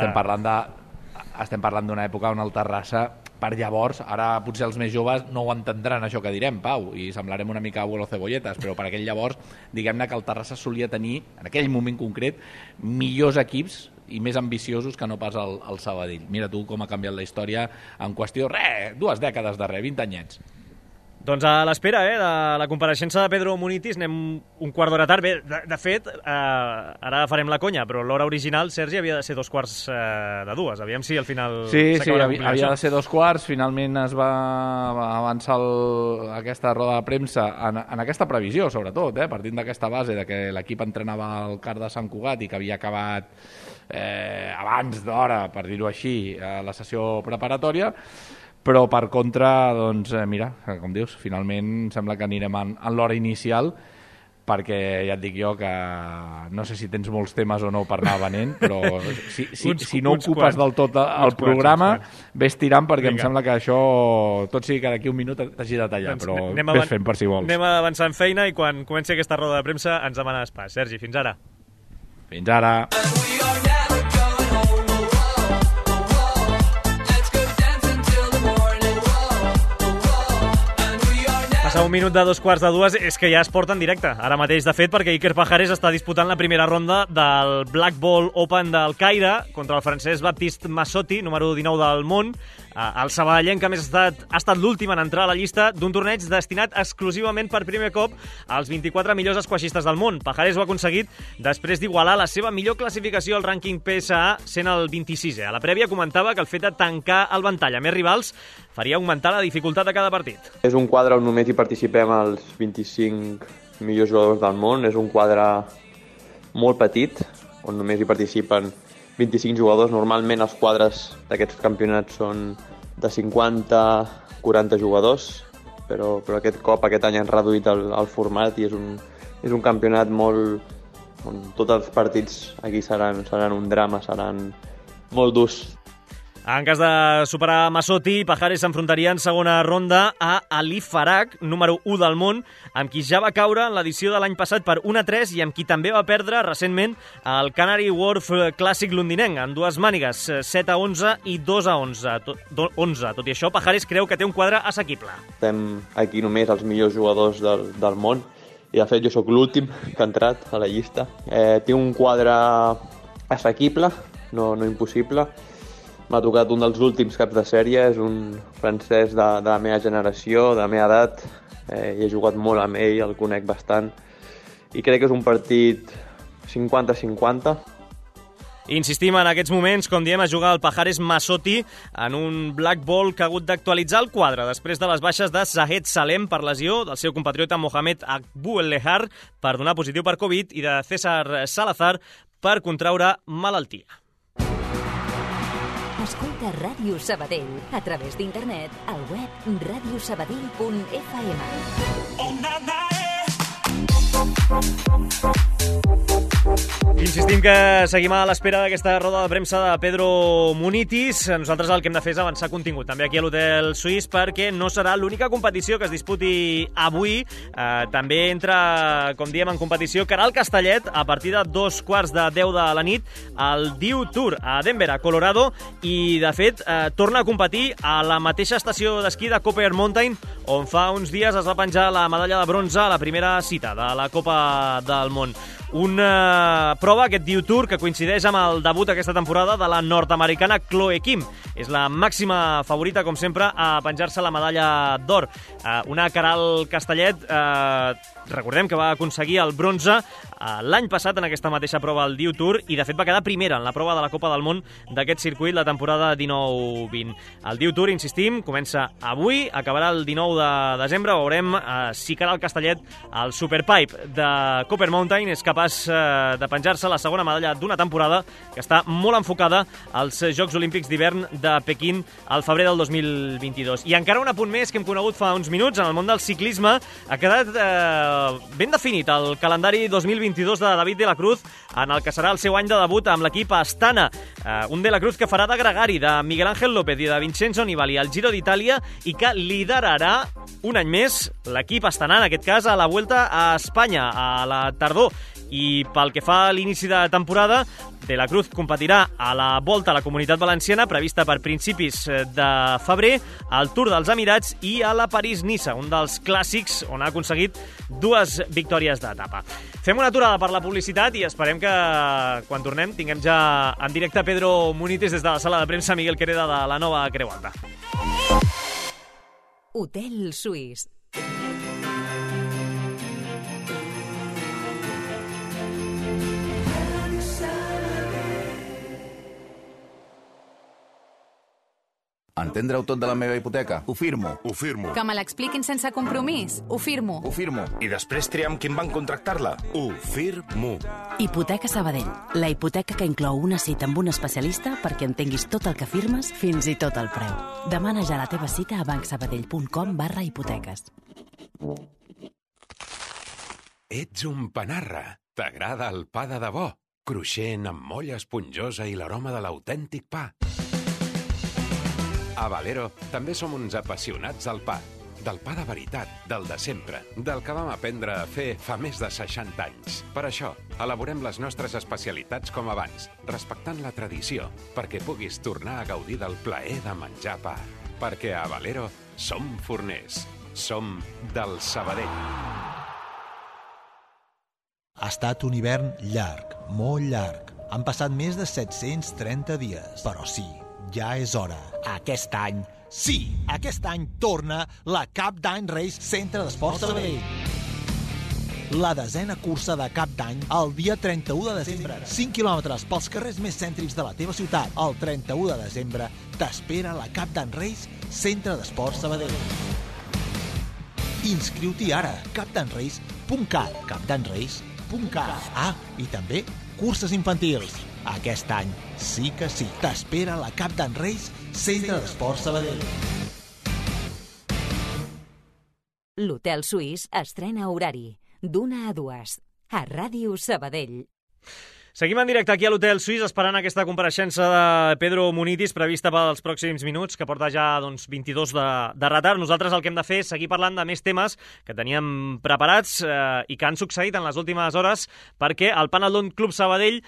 estem parlant d'una època on el Terrassa, per llavors, ara potser els més joves no ho entendran això que direm, Pau, i semblarem una mica abuelo cebolletes, però per aquell llavors, diguem-ne que el Terrassa solia tenir, en aquell moment concret, millors equips i més ambiciosos que no pas el Sabadell. Mira tu com ha canviat la història en qüestió, 2 dècades darrere, 20 anyets. Doncs a l'espera de la compareixença de Pedro Munitis, anem un quart d'hora tard. Bé, de fet, ara farem la conya, però l'hora original, Sergi, havia de ser 2:45. Aviam si al final... Sí, havia de ser 2:15. Finalment es va avançar aquesta roda de premsa en aquesta previsió, sobretot, partint d'aquesta base de que l'equip entrenava al CAR de Sant Cugat i que havia acabat abans d'hora, per dir-ho així, la sessió preparatòria. Però, per contra, doncs, mira, com dius, finalment sembla que anirem en l'hora inicial, perquè ja et dic jo que no sé si tens molts temes o no per anar venent, però si no ocupes del tot el programa, ves tirant, perquè em sembla que això, tot sigui que d'aquí un minut t'hagi de tallar, però ves fent per si vols. Anem avançant feina i quan comenci aquesta roda de premsa ens demanes pas. Sergi, fins ara. Fins ara. Passa un minut de 2:15, és que ja es porta en directe, ara mateix, de fet, perquè Iker Pajares està disputant la primera ronda del Black Ball Open del Caire contra el francès Baptiste Massotti, número 19 del món. El sabadellenc, que a més ha estat l'últim en entrar a la llista d'un torneig destinat exclusivament per primer cop als 24 millors esquaixistes del món. Pajares ho ha aconseguit després d'igualar la seva millor classificació al rànquing PSA, sent el 26è. A la prèvia comentava que el fet de tancar el ventall a més rivals faria augmentar la dificultat de cada partit. És un quadre on només hi participem els 25 millors jugadors del món. És un quadre molt petit, on només hi participen 25 jugadors. Normalment els quadres d'aquests campionats són de 50-40 jugadors, però aquest cop, aquest any han reduït el format i és un campionat molt on tots els partits aquí seran un drama, seran molt durs. En cas de superar Massotti, Pajares s'enfrontaria en segona ronda a Ali Farag, número 1 del món, amb qui ja va caure en l'edició de l'any passat per 1-3 i amb qui també va perdre recentment el Canary Wharf Clàssic londinenc, en dues mànigues, 7-11 i 2-11. Tot i això, Pajares creu que té un quadre assequible. Estem aquí només els millors jugadors del món i, de fet, jo sóc l'últim que ha entrat a la llista. Tinc un quadre assequible, no impossible. M'ha tocat un dels últims caps de sèrie, és un francès de la meva generació, de la meva edat, i he jugat molt amb ell, el conec bastant, i crec que és un partit 50-50. Insistim en aquests moments, com diem, a jugar el Pajares Masotti en un black ball que ha hagut d'actualitzar el quadre després de les baixes de Zahed Salem per lesió, del seu compatriota Mohamed Akbu El-Lehar per donar positiu per Covid i de César Salazar per contraure malaltia. Escolta Ràdio Sabadell a través d'internet al web radiosabadell.fm. Insistim que seguim a l'espera d'aquesta roda de premsa de Pedro Munitis. Nosaltres el que hem de fer és avançar contingut també aquí a l'Hotel Suís, perquè no serà l'única competició que es disputi avui. També entra, com diem, en competició Caral Castellet a partir de 2:15 de la nit al Dew Tour a Denver, a Colorado, i de fet torna a competir a la mateixa estació d'esquí de Copper Mountain on fa uns dies es va penjar la medalla de bronze a la primera cita de la Copa del Món. Una prova, aquest Dew Tour, que coincideix amb el debut aquesta temporada de la nord-americana Chloe Kim. És la màxima favorita, com sempre, a penjar-se la medalla d'or. Una Caral Castellet, recordem que va aconseguir el bronze l'any passat en aquesta mateixa prova al Dew Tour i, de fet, va quedar primera en la prova de la Copa del Món d'aquest circuit la temporada 19-20. El Dew Tour, insistim, comença avui, acabarà el 19 de desembre. Veurem si Caral Castellet, el Superpipe de Copper Mountain, és capaç de penjar-se la segona medalla d'una temporada que està molt enfocada als Jocs Olímpics d'hivern de Pequín al febrer del 2022. I encara un apunt més que hem conegut fa uns minuts. En el món del ciclisme ha quedat ben definit el calendari 2022 de David de la Cruz, en el que serà el seu any de debut amb l'equip Astana. Un de la Cruz que farà de gregari de Miguel Ángel López i de Vincenzo Nibali al Giro d'Itàlia i que liderarà un any més l'equip astanà, en aquest cas a la Vuelta a Espanya a la tardor. I pel que fa a l'inici de temporada, De la Cruz competirà a la Volta a la Comunitat Valenciana, prevista per principis de febrer, al Tour dels Emirats i a la París-Niça, un dels clàssics on ha aconseguit 2 victòries d'etapa. Fem una aturada per la publicitat i esperem que quan tornem tinguem ja en directe Pedro Munitis des de la sala de premsa Miguel Quereda de la nova Creu Alta. Hotel Suís. Entendre-ho tot de la meva hipoteca? Ho firmo. Ho firmo. Que me l'expliquin sense compromís? Ho firmo. Ho firmo. I després triar amb quin banc contractar-la? Ho firmo. Hipoteca Sabadell. La hipoteca que inclou una cita amb un especialista perquè entenguis tot el que firmes, fins i tot el preu. Demana ja la teva cita a bancsabadell.com/hipoteques. Ets un panarra. T'agrada el pa de debò? Cruixent, amb molla esponjosa i l'aroma de l'autèntic pa. A Valero també som uns apassionats del pa de veritat, del de sempre, del que vam aprendre a fer fa més de 60 anys. Per això, elaborem les nostres especialitats com abans, respectant la tradició, perquè puguis tornar a gaudir del plaer de menjar pa. Perquè a Valero som forners, som del Sabadell. Ha estat un hivern llarg, molt llarg. Han passat més de 730 dies, però sí, ja és hora. Aquest any, sí, aquest any torna la Cap d'Any Race Centre d'Esports Sabadell. La 10ª cursa de Cap d'Any el dia 31 de desembre. 5 quilòmetres pels carrers més cèntrics de la teva ciutat. El 31 de desembre t'espera la Cap d'Any Race Centre d'Esports Sabadell. Inscriu-t'hi ara, capdanrace.cat, capdanrace.cat. Ah, i també curses infantils. Aquest any sí que sí. T'espera la Cap d'Any Race Centre d'Esports Sabadell. L'Hotel Suís estrena horari d'1 a 2 a Ràdio Sabadell. Seguim en directe aquí a l'Hotel Suís esperant aquesta compareixença de Pedro Munitis prevista pels pròxims minuts, que porta ja 22 de retard. Nosaltres el que hem de fer és seguir parlant de més temes que teníem preparats i que han succeït en les últimes hores, perquè el Panadon Club Sabadell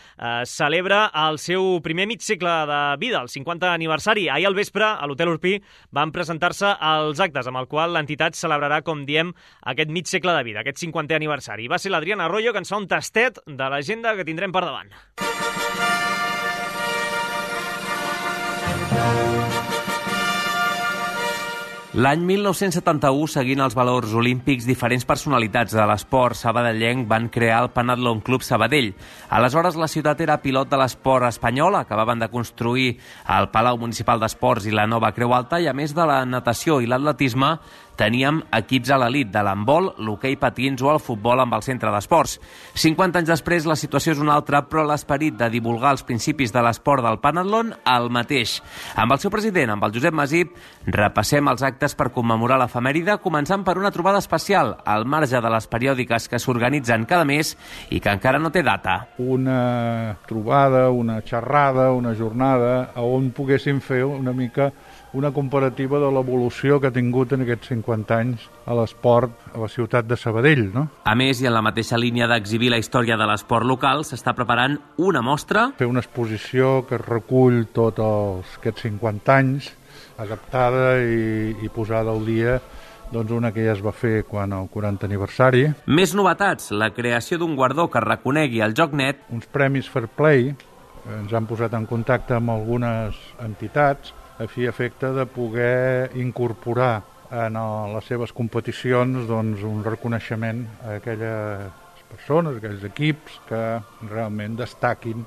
celebra el seu primer mig segle de vida, el 50 aniversari. Ahir al vespre, a l'Hotel Urpí, van presentar-se els actes amb el qual l'entitat celebrarà, com diem, aquest mig segle de vida, aquest 50è aniversari. Va ser l'Adriana Arroyo que ens fa un tastet de l'agenda que tindrem per davant. L'any 1971, seguint els valors olímpics, diferents personalitats de l'esport sabadellenc van crear el Panatlon Club Sabadell. Aleshores, la ciutat era pilot de l'esport espanyol, acabaven de construir el Palau Municipal d'Esports i la nova Creu Alta, i a més de la natació i l'atletisme, teníem equips a l'elit de l'handbol, l'hoquei patins o el futbol amb el centre d'esports. 50 anys després la situació és una altra, però l'esperit de divulgar els principis de l'esport del Panatlon el mateix. Amb el seu president, amb el Josep Masip, repassem els actes per commemorar l'efemèride, començant per una trobada especial al marge de les periòdiques que s'organitzen cada mes i que encara no té data. Una trobada, una xerrada, una jornada on poguéssim fer una mica una comparativa de l'evolució que ha tingut en aquests 50 anys a l'esport a la ciutat de Sabadell, no? A més, i en la mateixa línia d'exhibir la història de l'esport local, s'està preparant una mostra. Fer una exposició que recull tots aquests 50 anys, adaptada i posada al dia, doncs una que ja es va fer quan el 40 aniversari. Més novetats, la creació d'un guardó que reconegui el joc net. Uns premis Fair Play, ens han posat en contacte amb algunes entitats a fi i efecte de poder incorporar en les seves competicions doncs, un reconeixement a aquelles persones, a aquells equips que realment destaquin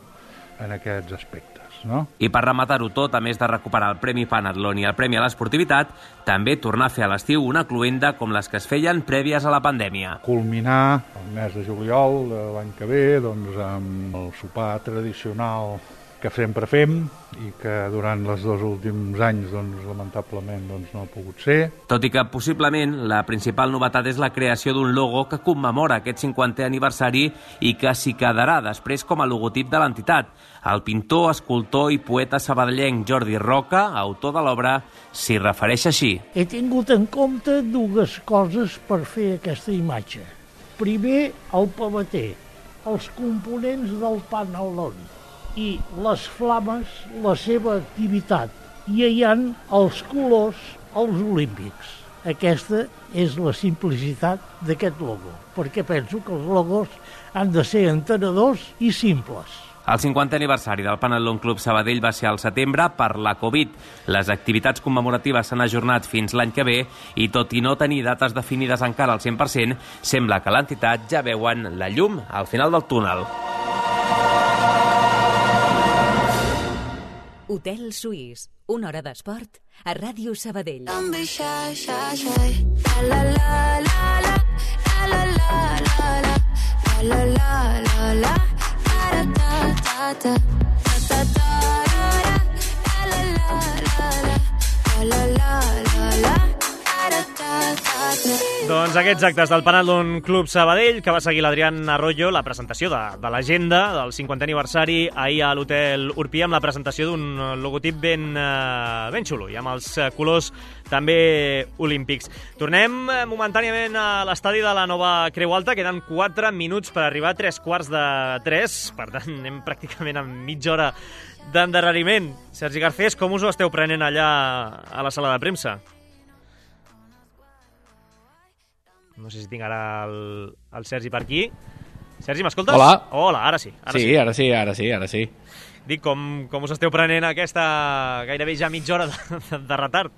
en aquests aspectes, no? I per rematar-ho tot, a més de recuperar el Premi Panatlon i el Premi a l'Esportivitat, també tornar a fer a l'estiu una cluenda com les que es feien prèvies a la pandèmia. Culminar el mes de juliol de l'any que ve doncs, amb el sopar tradicional que sempre fem i que durant els 2 últims anys doncs, lamentablement doncs, no ha pogut ser. Tot i que possiblement la principal novetat és la creació d'un logo que commemora aquest 50è aniversari i que s'hi quedarà després com a logotip de l'entitat. El pintor, escultor i poeta sabadellenc Jordi Roca, autor de l'obra, s'hi refereix així. He tingut en compte 2 coses per fer aquesta imatge. Primer, el pavater, els components del Panatlon, i les flames, la seva activitat. I hi ha els colors, els olímpics. Aquesta és la simplicitat d'aquest logo, perquè penso que els logos han de ser entenedors i simples. El 50è aniversari del Panatlon Club Sabadell va ser al setembre per la Covid. Les activitats commemoratives s'han ajornat fins l'any que ve i, tot i no tenir dates definides encara al 100%, sembla que l'entitat ja veuen la llum al final del túnel. Hotel Suís, una hora d'esport a Ràdio Sabadell. Doncs aquests actes del Panatlon Club Sabadell, que va seguir l'Adrián Arroyo, la presentació de l'agenda del 50è aniversari ahir a l'Hotel Urpia, amb la presentació d'un logotip ben xulo i amb els colors també olímpics. Tornem momentàniament a l'estadi de la nova Creu Alta, queden 4 minuts per arribar a 3:45, per tant anem pràcticament a mitja hora d'endarreriment. Sergi Garcés, com us ho esteu prenent allà a la sala de premsa? No sé si tinc ara el Sergi per aquí. Sergi, m'escoltes? Hola. Hola, ara sí. Ara sí. Dic, com us esteu prenent aquesta gairebé ja mitja hora de retard?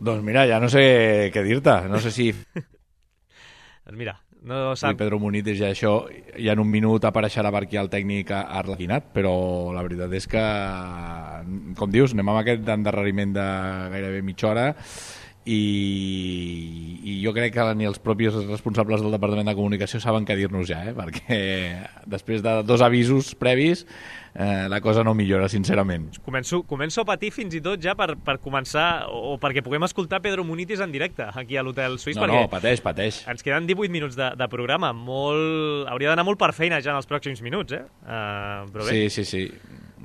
Doncs mira, ja no sé què dir-te. No sé si... Doncs mira, no sap... Pedro Munitis ja això, ja en un minut apareixerà per aquí el tècnic arlequinat, però la veritat és que, com dius, anem amb aquest endarreriment de gairebé mitja hora i jo crec que ni els propis responsables del Departament de Comunicació saben què dir-nos ja, perquè després de 2 avisos previs la cosa no millora, sincerament. Començo a patir fins i tot ja per començar, o perquè puguem escoltar Pedro Munitis en directe aquí a l'Hotel Suís. No, pateix. Ens queden 18 minuts de programa. Hauria d'anar molt per feina ja en els pròxims minuts, però bé. Sí.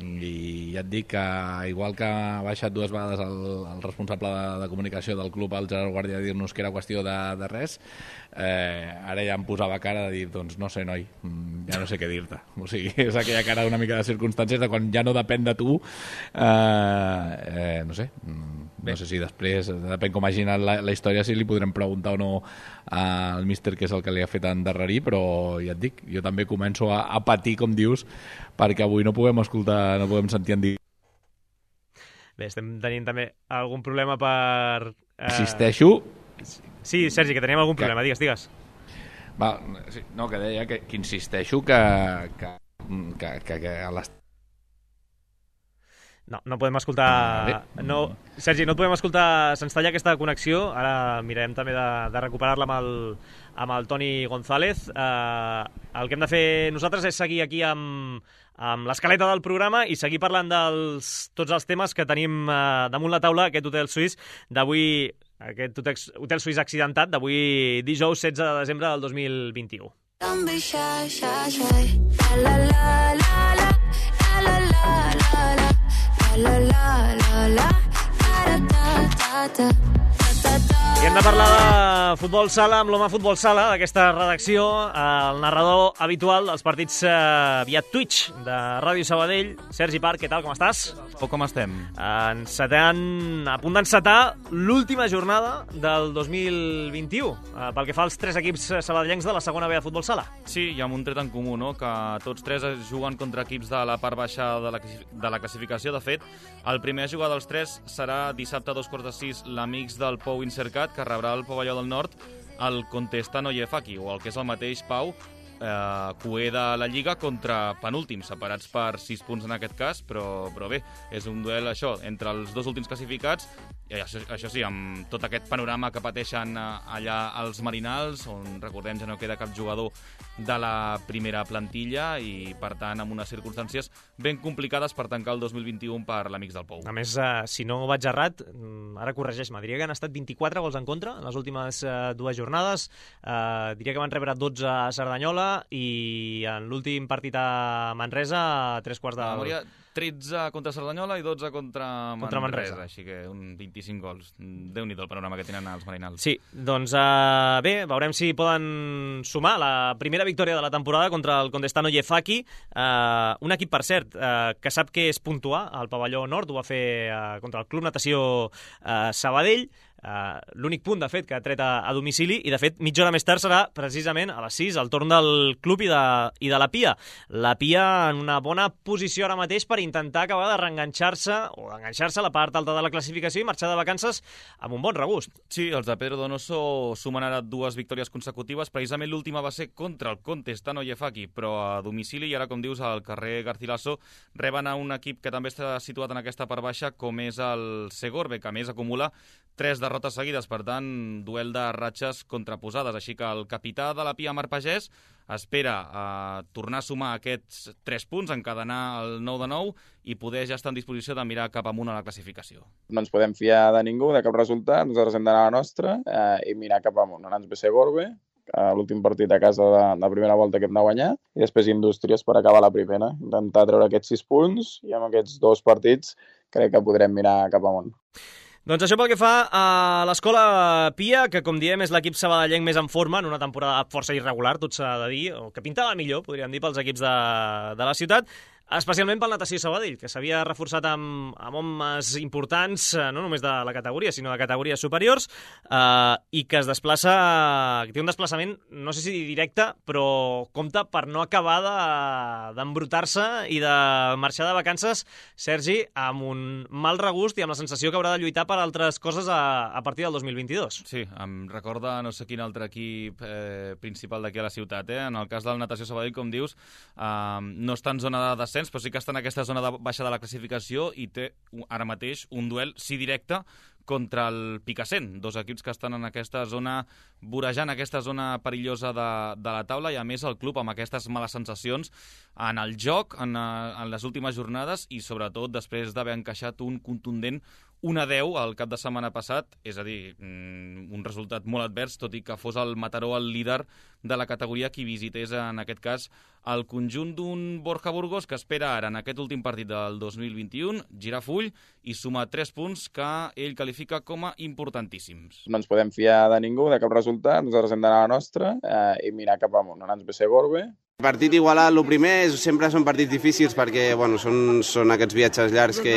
I ja et dic que igual que ha baixat 2 vegades el responsable de comunicació del club, el Gerard Guàrdia, a dir-nos que era qüestió de res, ara ja em posava cara de dir, doncs no sé, noi, ja no sé què dir-te. O sigui, és aquella cara una mica de circumstàncies de quan ja no depèn de tu, no sé, no sé si després, depèn com hagi anat la història, si li podrem preguntar o no al míster què és el que li ha fet endarrerir, però ja et dic, jo també començo a patir, com dius, perquè avui no podem escoltar, no podem sentir en dir. Bé, estem tenint també algun problema per... Insisteixo... Sí, Sergi, que teníem algun problema, digues. Va, sí, no, que deia que insisteixo que a les... No podem escoltar... No, Sergi, no et podem escoltar, se'ns talla aquesta connexió, ara mirarem també de recuperar-la amb el Toni González. El que hem de fer nosaltres és seguir aquí amb l'escaleta del programa i seguir parlant tots els temes que tenim damunt la taula, aquest hotel suís d'avui, aquest hotel suís accidentat d'avui dijous 16 de desembre del 2021. Don't be shy, shy, shy. La la la la la la la la la. La la la la ta ta ta ta. I hem de parlar de futbol sala amb l'home futbol sala d'aquesta redacció, el narrador habitual dels partits via Twitch de Ràdio Sabadell, Sergi Parc, què tal, com estàs? Com estem? A punt d'encetar l'última jornada del 2021, pel que fa als 3 equips sabadellencs de la segona B de futbol sala. Sí, hi ha un tret en comú, no? Que tots 3 es juguen contra equips de la part baixa de la classificació. De fet, el primer a jugar dels 3 serà dissabte a 2:45 l'Amics del Pou Incercat, que rebrà el Pavelló del Nord el Contestano Yefaki, o el que és el mateix Pau, cuer de la Lliga contra penúltims, separats per 6 punts en aquest cas, però bé, és un duel això, entre els 2 últims classificats, i això sí, amb tot aquest panorama que pateixen allà els Marinals, on recordem ja no queda cap jugador de la primera plantilla i per tant amb unes circumstàncies ben complicades per tancar el 2021 per l'Amics del Pou. A més, si no vaig errat, ara corregeix-me, diria que han estat 24 gols en contra en les últimes 2 jornades, diria que van rebre 12 a Cerdanyola i en l'últim partit a Manresa, a 3 quarts de... Memòria, 13 contra Cerdanyola i 12 contra Manresa, així que un 25 gols. Déu-n'hi-do el panorama que tenen els Marinals. Sí, doncs bé, veurem si poden sumar la primera victòria de la temporada contra el Contestano Yefaki, un equip, per cert, que sap que és puntuar al Pavelló Nord, ho va fer contra el Club Natació Sabadell, l'únic punt, de fet, que ha tret a domicili, i de fet mitja hora més tard serà precisament a les 6 el torn del club i de la Pia. La Pia en una bona posició ara mateix per intentar acabar de reenganxar-se o d'enganxar-se a la part alta de la classificació i marxar de vacances amb un bon regust. Sí, els de Pedro Donoso sumen ara 2 victòries consecutives, precisament l'última va ser contra el Contestano Yefaki, però a domicili, i ara, com dius, al carrer Garcilaso reben a un equip que també està situat en aquesta part baixa, com és el Segorbe, que a més acumula 3 derrotes seguides, per tant, duel de ratxes contraposades. Així que el capità de la Pia, Marc Pagès, espera tornar a sumar aquests 3 punts, encadenar el 9 de 9 i poder ja estar en disposició de mirar cap amunt a la classificació. No ens podem fiar de ningú, de cap resultat, nosaltres hem d'anar a la nostra i mirar cap amunt. Ara ens ve Segorbe, l'últim partit a casa de primera volta que hem de guanyar, i després Indústries per acabar la primera. Intentar treure aquests 6 punts i amb aquests 2 partits crec que podrem mirar cap amunt. Doncs això pel que fa a l'Escola Pia, que com diem és l'equip sabadellenc més en forma en una temporada força irregular, tot s'ha de dir, o que pintava millor, podríem dir, pels equips de la ciutat, especialment pel Natació Sabadell, que s'havia reforçat amb homes importants, no només de la categoria, sinó de categories superiors, i que es desplaça, que té un desplaçament, no sé si directe, però compta per no acabar d'embrutar-se i de marxar de vacances, Sergi, amb un mal regust i amb la sensació que haurà de lluitar per altres coses a partir del 2022. Sí, em recorda no sé quin altre equip principal d'aquí a la ciutat. En el cas del Natació Sabadell, com dius, no està en zona de descens, però sí que està en aquesta zona baixa de la classificació i té ara mateix un duel, sí directe, contra el Picassent, 2 equips que estan en aquesta zona, vorejant aquesta zona perillosa de la taula, i a més el club amb aquestes males sensacions en el joc, en les últimes jornades, i sobretot després d'haver encaixat un contundent 1-10 el cap de setmana passat, és a dir, un resultat molt advers, tot i que fos el Mataró el líder de la categoria qui visités, en aquest cas, el conjunt d'un Borja Burgos que espera ara, en aquest últim partit del 2021, girar full i sumar 3 punts que ell qualifica com a importantíssims. No ens podem fiar de ningú, de cap resultat, nosaltres hem d'anar a la nostra i mirar cap amunt. Ara ens ve Segorbe. El partit igualat, el primer, sempre són partits difícils perquè són aquests viatges llargs que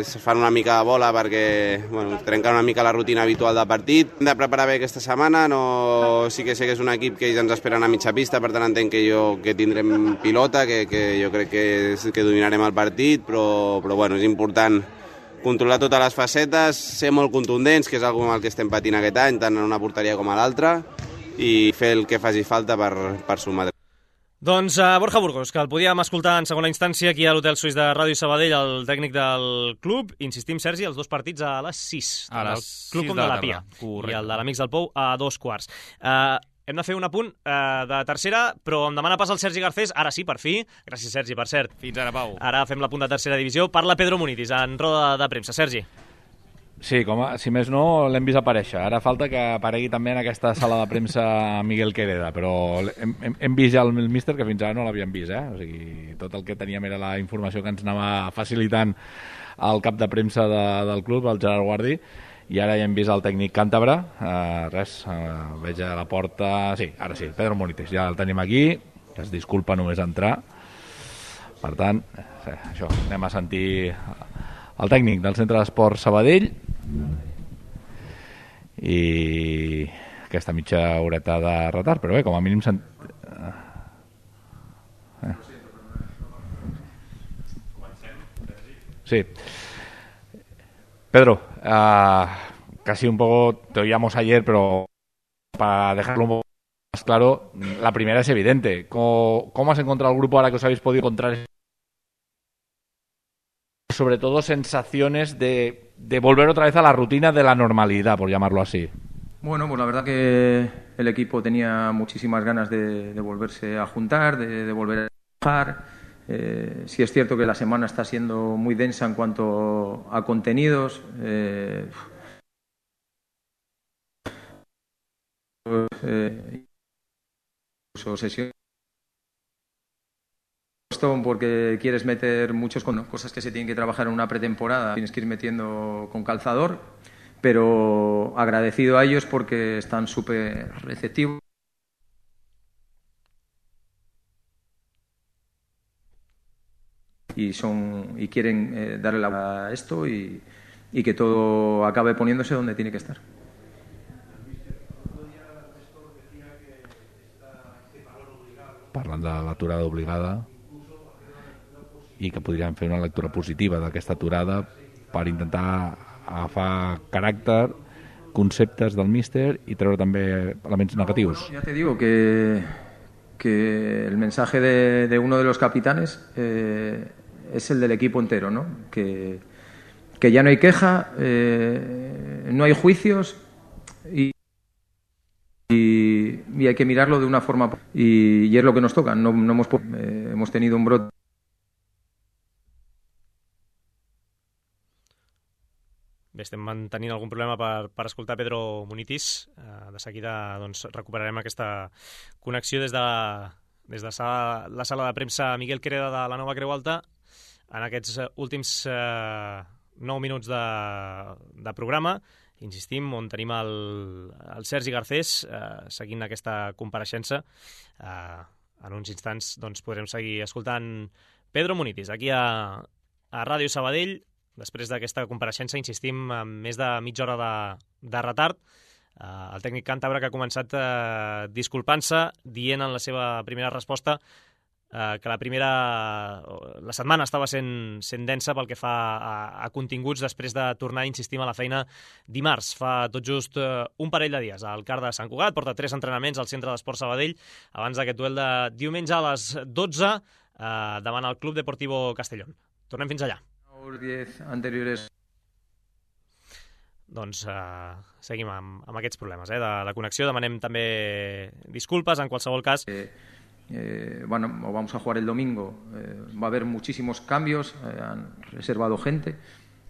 es fan una mica de bola perquè trenquen una mica la rutina habitual del partit. Hem de preparar bé aquesta setmana, sí que sé que és un equip que ja ens esperen a mitja pista, per tant entenc que tindrem pilota, que jo crec que dominarem el partit, però és important controlar totes les facetes, ser molt contundents, que és una cosa amb el que estem patint aquest any, tant en una porteria com a l'altra, i fer el que faci falta per sumar. Doncs Borja Burgos, que el podíem escoltar en segona instància aquí a l'Hotel Suís de Ràdio Sabadell, el tècnic del club. Insistim, Sergi, els dos partits a les 6. A les 6 Club com de la Pia. I el de l'Amics del Pou a 2:15. Hem de fer un apunt de tercera, però em demana pas el Sergi Garcés. Ara sí, per fi. Gràcies, Sergi, per cert. Fins ara, Pau. Ara fem l'apunt de tercera divisió. Parla Pedro Munitis en roda de premsa. Sergi. Sí, si més no, l'hem vist aparèixer. Ara falta que aparegui també en aquesta sala de premsa Miguel Quereda, però hem vist ja el míster, que fins ara no l'havíem vist, O sigui, tot el que teníem era la informació que ens anava facilitant el cap de premsa del club, el Gerard Guardi, i ara ja hem vist el tècnic càntabre. Veig a la porta... Sí, ara sí, Pedro Munitis, ja el tenim aquí, que es disculpa només entrar. Per tant, això, anem a sentir el tècnic del Centre d'Esport Sabadell i aquesta mitja horeta de retard, però bé, com a mínim Sí. Pedro, casi un poco te oíamos ayer, pero para dejarlo un poco más claro, la primera es evidente. ¿Cómo has encontrado el grupo ahora que os habéis podido encontrar? Sobre todo sensaciones de volver otra vez a la rutina de la normalidad, por llamarlo así. Bueno, pues la verdad que el equipo tenía muchísimas ganas de volverse a juntar, de volver a trabajar. Sí es cierto que la semana está siendo muy densa en cuanto a contenidos. Incluso sesiones porque quieres meter muchos cosas que se tienen que trabajar en una pretemporada, tienes que ir metiendo con calzador, pero agradecido a ellos porque están súper receptivos. Y quieren darle la vuelta a esto y que todo acabe poniéndose donde tiene que estar. Parlant de l'aturada obligada i que podríem fer una lectura positiva d'aquesta aturada per intentar agafar caràcter, conceptes del míster i treure també elements negatius. Ya te digo que el mensaje de uno de los capitanes es el del equipo entero, ¿no? Que ya no hay queja, no hay juicios y hay que mirarlo de una forma y es lo que nos toca. No hemos tenido un brote. Bé, estem mantenint algun problema per escoltar Pedro Munitis. De seguida doncs, recuperarem aquesta connexió des de la sala de premsa Miguel Quereda de la Nova Creu Alta en aquests últims 9 minuts de programa. Insistim, on tenim el Sergi Garcés seguint aquesta compareixença. En uns instants doncs, podrem seguir escoltant Pedro Munitis aquí a Ràdio Sabadell. Després d'aquesta compareixença, insistim, amb més de mitja hora de retard. El tècnic càntabre que ha començat disculpant-se, dient en la seva primera resposta que la setmana estava sent densa pel que fa a continguts després de tornar, insistim, a la feina dimarts. Fa tot just un parell de dies al CAR de Sant Cugat, porta 3 entrenaments al Centre d'Esport Sabadell abans d'aquest duel de diumenge a les 12 davant el Club Deportivo Castellón. Tornem fins allà. 10 anteriores. Doncs seguim amb aquests problemes de la connexió. Demanem també disculpes en qualsevol cas. Bueno, vamos a jugar el domingo. Va a haber muchísimos cambios, han reservado gente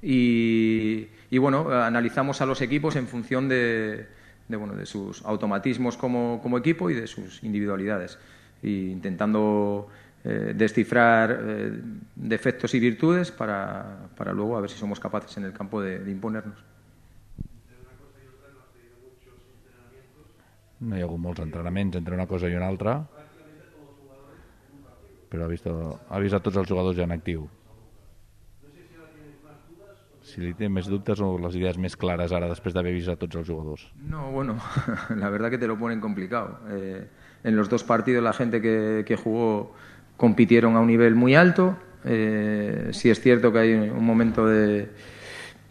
y bueno, analizamos a los equipos en función de sus automatismos como equipo y de sus individualidades, intentando descifrar defectos y virtudes para luego a ver si somos capaces en el campo de imponernos. No hi ha hagut molts entrenaments entre una cosa i una altra, però ha vist a tots els jugadors ja en actiu. Si li té més dubtes o les idees més clares ara després d'haver vist a tots els jugadors. No, bueno, la verdad que te lo ponen complicado. En los dos partidos la gente que jugó compitieron a un nivel muy alto. Sí es cierto que hay un momento de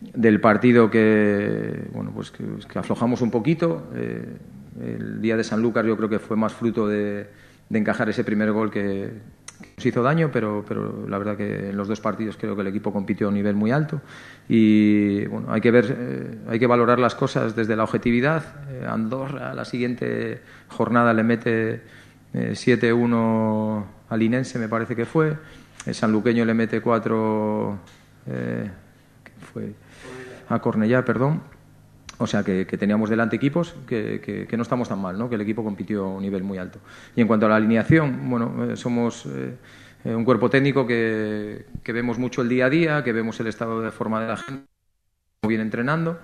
del partido que aflojamos un poquito. El día de Sanlúcar yo creo que fue más fruto de encajar ese primer gol que nos hizo daño, pero la verdad que en los dos partidos creo que el equipo compitió a un nivel muy alto y bueno, hay que valorar las cosas desde la objetividad. Andorra la siguiente jornada le mete 7-1 al Linense, me parece que fue. El sanluqueño le mete 4 a Cornellá, perdón. O sea que teníamos delante equipos que no estamos tan mal, ¿no? Que el equipo compitió a un nivel muy alto. Y en cuanto a la alineación, bueno, somos un cuerpo técnico que vemos mucho el día a día, que vemos el estado de forma de la gente, cómo viene entrenando,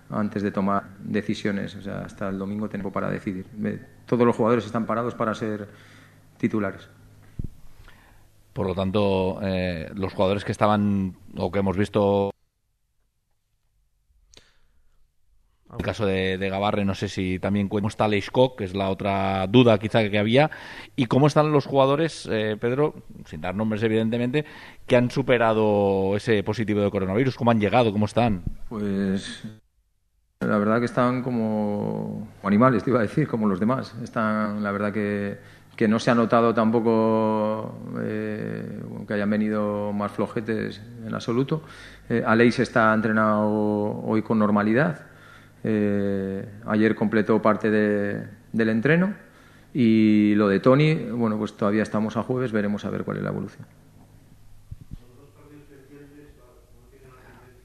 antes de tomar decisiones. O sea, hasta el domingo tenemos para decidir. Todos los jugadores están parados para ser titulares. Por lo tanto, los jugadores que estaban, o que hemos visto... En el caso de Gabarre, no sé si también cómo está Leishkok, que es la otra duda quizá que había, y cómo están los jugadores, Pedro, sin dar nombres evidentemente, que han superado ese positivo de coronavirus, cómo han llegado, cómo están. Pues la verdad que están como animales, te iba a decir, como los demás. Están, la verdad que no se ha notado tampoco que hayan venido más flojetes en absoluto. Aleix está entrenado hoy con normalidad. Ayer completó parte del entreno y lo de Toni, bueno, pues todavía estamos a jueves, veremos a ver cuál es la evolución.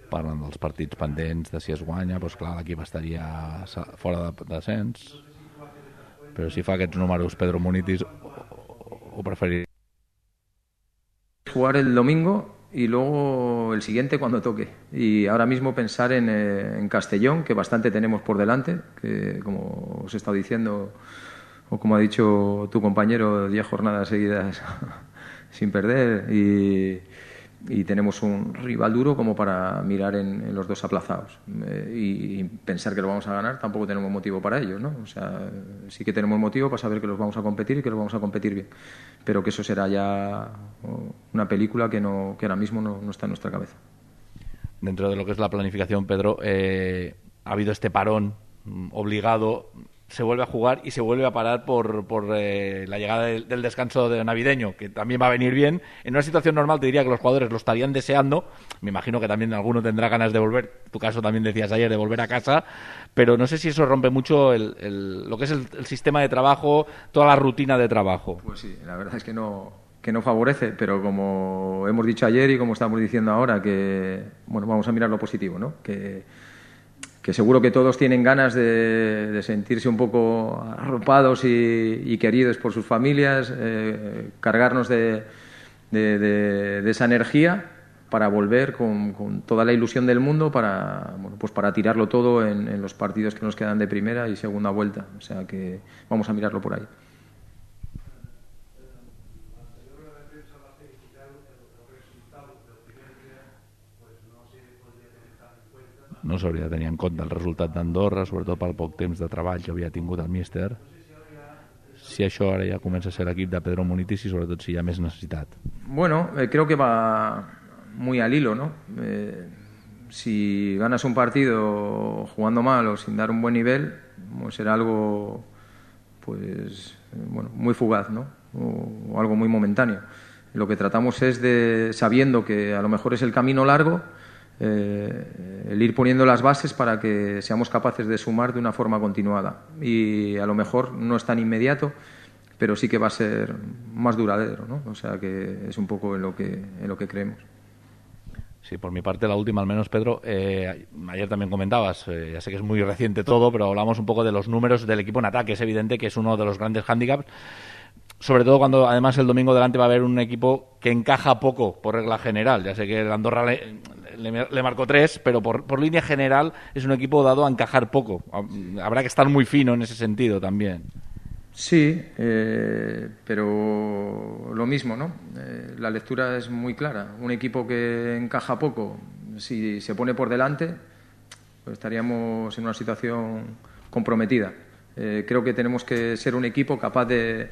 Parlant dels partits pendents de si es guanya, doncs clar, l'equip estaria fora de descens, però si fa aquests números Pedro Munitis o preferiria jugar el domingo y luego el siguiente cuando toque. Y ahora mismo pensar en Castellón, que bastante tenemos por delante, que como os he estado diciendo, o como ha dicho tu compañero, 10 jornadas seguidas sin perder y tenemos un rival duro como para mirar en los dos aplazados. Y pensar que lo vamos a ganar, tampoco tenemos motivo para ello, ¿no? O sea, sí que tenemos motivo para saber que los vamos a competir y que los vamos a competir bien. Pero que eso será ya una película que ahora mismo no está en nuestra cabeza. Dentro de lo que es la planificación, Pedro, ha habido este parón obligado, se vuelve a jugar y se vuelve a parar por la llegada del descanso navideño, que también va a venir bien. En una situación normal te diría que los jugadores lo estarían deseando. Me imagino que también alguno tendrá ganas de volver. En tu caso también decías ayer de volver a casa, pero no sé si eso rompe mucho lo que es el sistema de trabajo, toda la rutina de trabajo. Pues sí, la verdad es que no favorece, pero como hemos dicho ayer y como estamos diciendo ahora, que bueno, vamos a mirar lo positivo, ¿no? Que seguro que todos tienen ganas de sentirse un poco arropados y queridos por sus familias, cargarnos de esa energía para volver con toda la ilusión del mundo para tirarlo todo en los partidos que nos quedan de primera y segunda vuelta. O sea que vamos a mirarlo por ahí. No s'hauria de tenir en compte el resultat d'Andorra, sobretot pel poc temps de treball que havia tingut el míster. Si això ara ja comença a ser l'equip de Pedro Munitis i sobretot si hi ha més necessitat. Bueno, creo que va muy al hilo, ¿no? Si ganas un partido jugando mal o sin dar un buen nivel, pues será algo pues bueno, muy fugaz, ¿no? O algo muy momentáneo. Lo que tratamos es sabiendo que a lo mejor es el camino largo, el ir poniendo las bases para que seamos capaces de sumar de una forma continuada. Y a lo mejor no es tan inmediato, pero sí que va a ser más duradero, ¿no? O sea que es un poco en lo que creemos. Sí, por mi parte la última al menos, Pedro. Ayer también comentabas, ya sé que es muy reciente todo, pero hablamos un poco de los números del equipo en ataque. Es evidente que es uno de los grandes hándicaps, sobre todo cuando además el domingo delante va a haber un equipo que encaja poco por regla general. Ya sé que el Andorra le marcó 3, pero por línea general es un equipo dado a encajar poco. Habrá que estar muy fino en ese sentido también. Sí, pero lo mismo, ¿no? La lectura es muy clara. Un equipo que encaja poco, si se pone por delante, pues estaríamos en una situación comprometida. Creo que tenemos que ser un equipo capaz de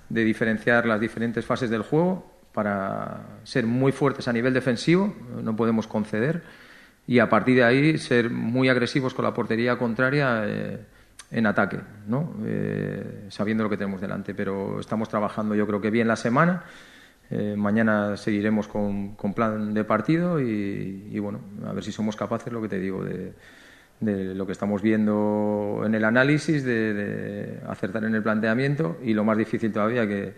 diferenciar las diferentes fases del juego para ser muy fuertes a nivel defensivo, no podemos conceder, y a partir de ahí ser muy agresivos con la portería contraria en ataque, ¿no? Sabiendo lo que tenemos delante, pero estamos trabajando yo creo que bien la semana. Mañana seguiremos con plan de partido y bueno, a ver si somos capaces, lo que te digo, de lo que estamos viendo en el análisis, de acertar en el planteamiento, y lo más difícil todavía, que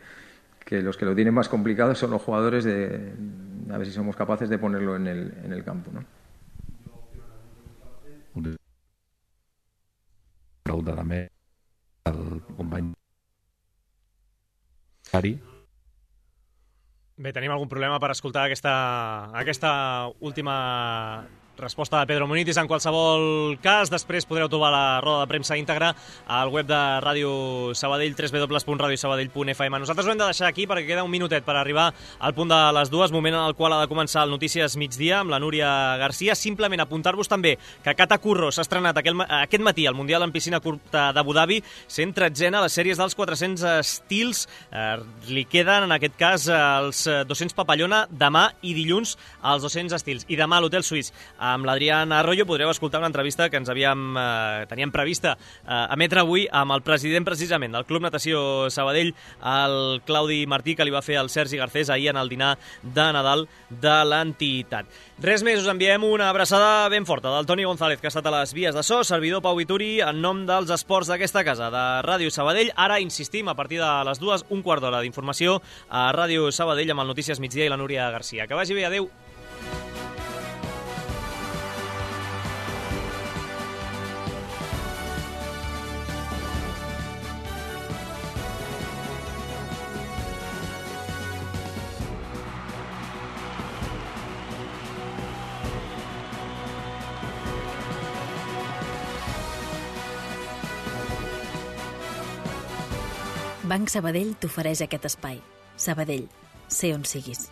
los que lo tienen más complicado son los jugadores, a ver si somos capaces de ponerlo en el campo, ¿no? Pregunta també al company Ari. Bé, tenim algun problema per escoltar aquesta última resposta de Pedro Munitis. En qualsevol cas, després podreu trobar la roda de premsa íntegra al web de Ràdio Sabadell, www.radiosabadell.fm. Nosaltres ho hem de deixar aquí perquè queda un minutet per arribar al punt de les 2, moment en el qual ha de començar el Notícies Migdia amb la Núria Garcia. Simplement apuntar-vos també que Kata Curro s'ha estrenat aquest matí al Mundial en piscina curta d'Abu Dhabi, 113a a les sèries dels 400 estils. Li queden, en aquest cas, els 200 papallona demà i dilluns als 200 estils. I demà a l'Hotel Suís amb l'Adrián Arroyo podreu escoltar una entrevista que teníem prevista emetre avui amb el president precisament del Club Natació Sabadell, el Claudi Martí, que li va fer el Sergi Garcés ahir en el dinar de Nadal de l'entitat. Res més, us enviem una abraçada ben forta del Toni González, que ha estat a les vies de so, servidor Pau Vituri, en nom dels esports d'aquesta casa, de Ràdio Sabadell. Ara insistim, a partir de les 2, un quart d'hora d'informació a Ràdio Sabadell amb el Notícies Migdia i la Núria Garcia. Que vagi bé, adeu. Banc Sabadell t'ofereix aquest espai. Sabadell, sé on siguis.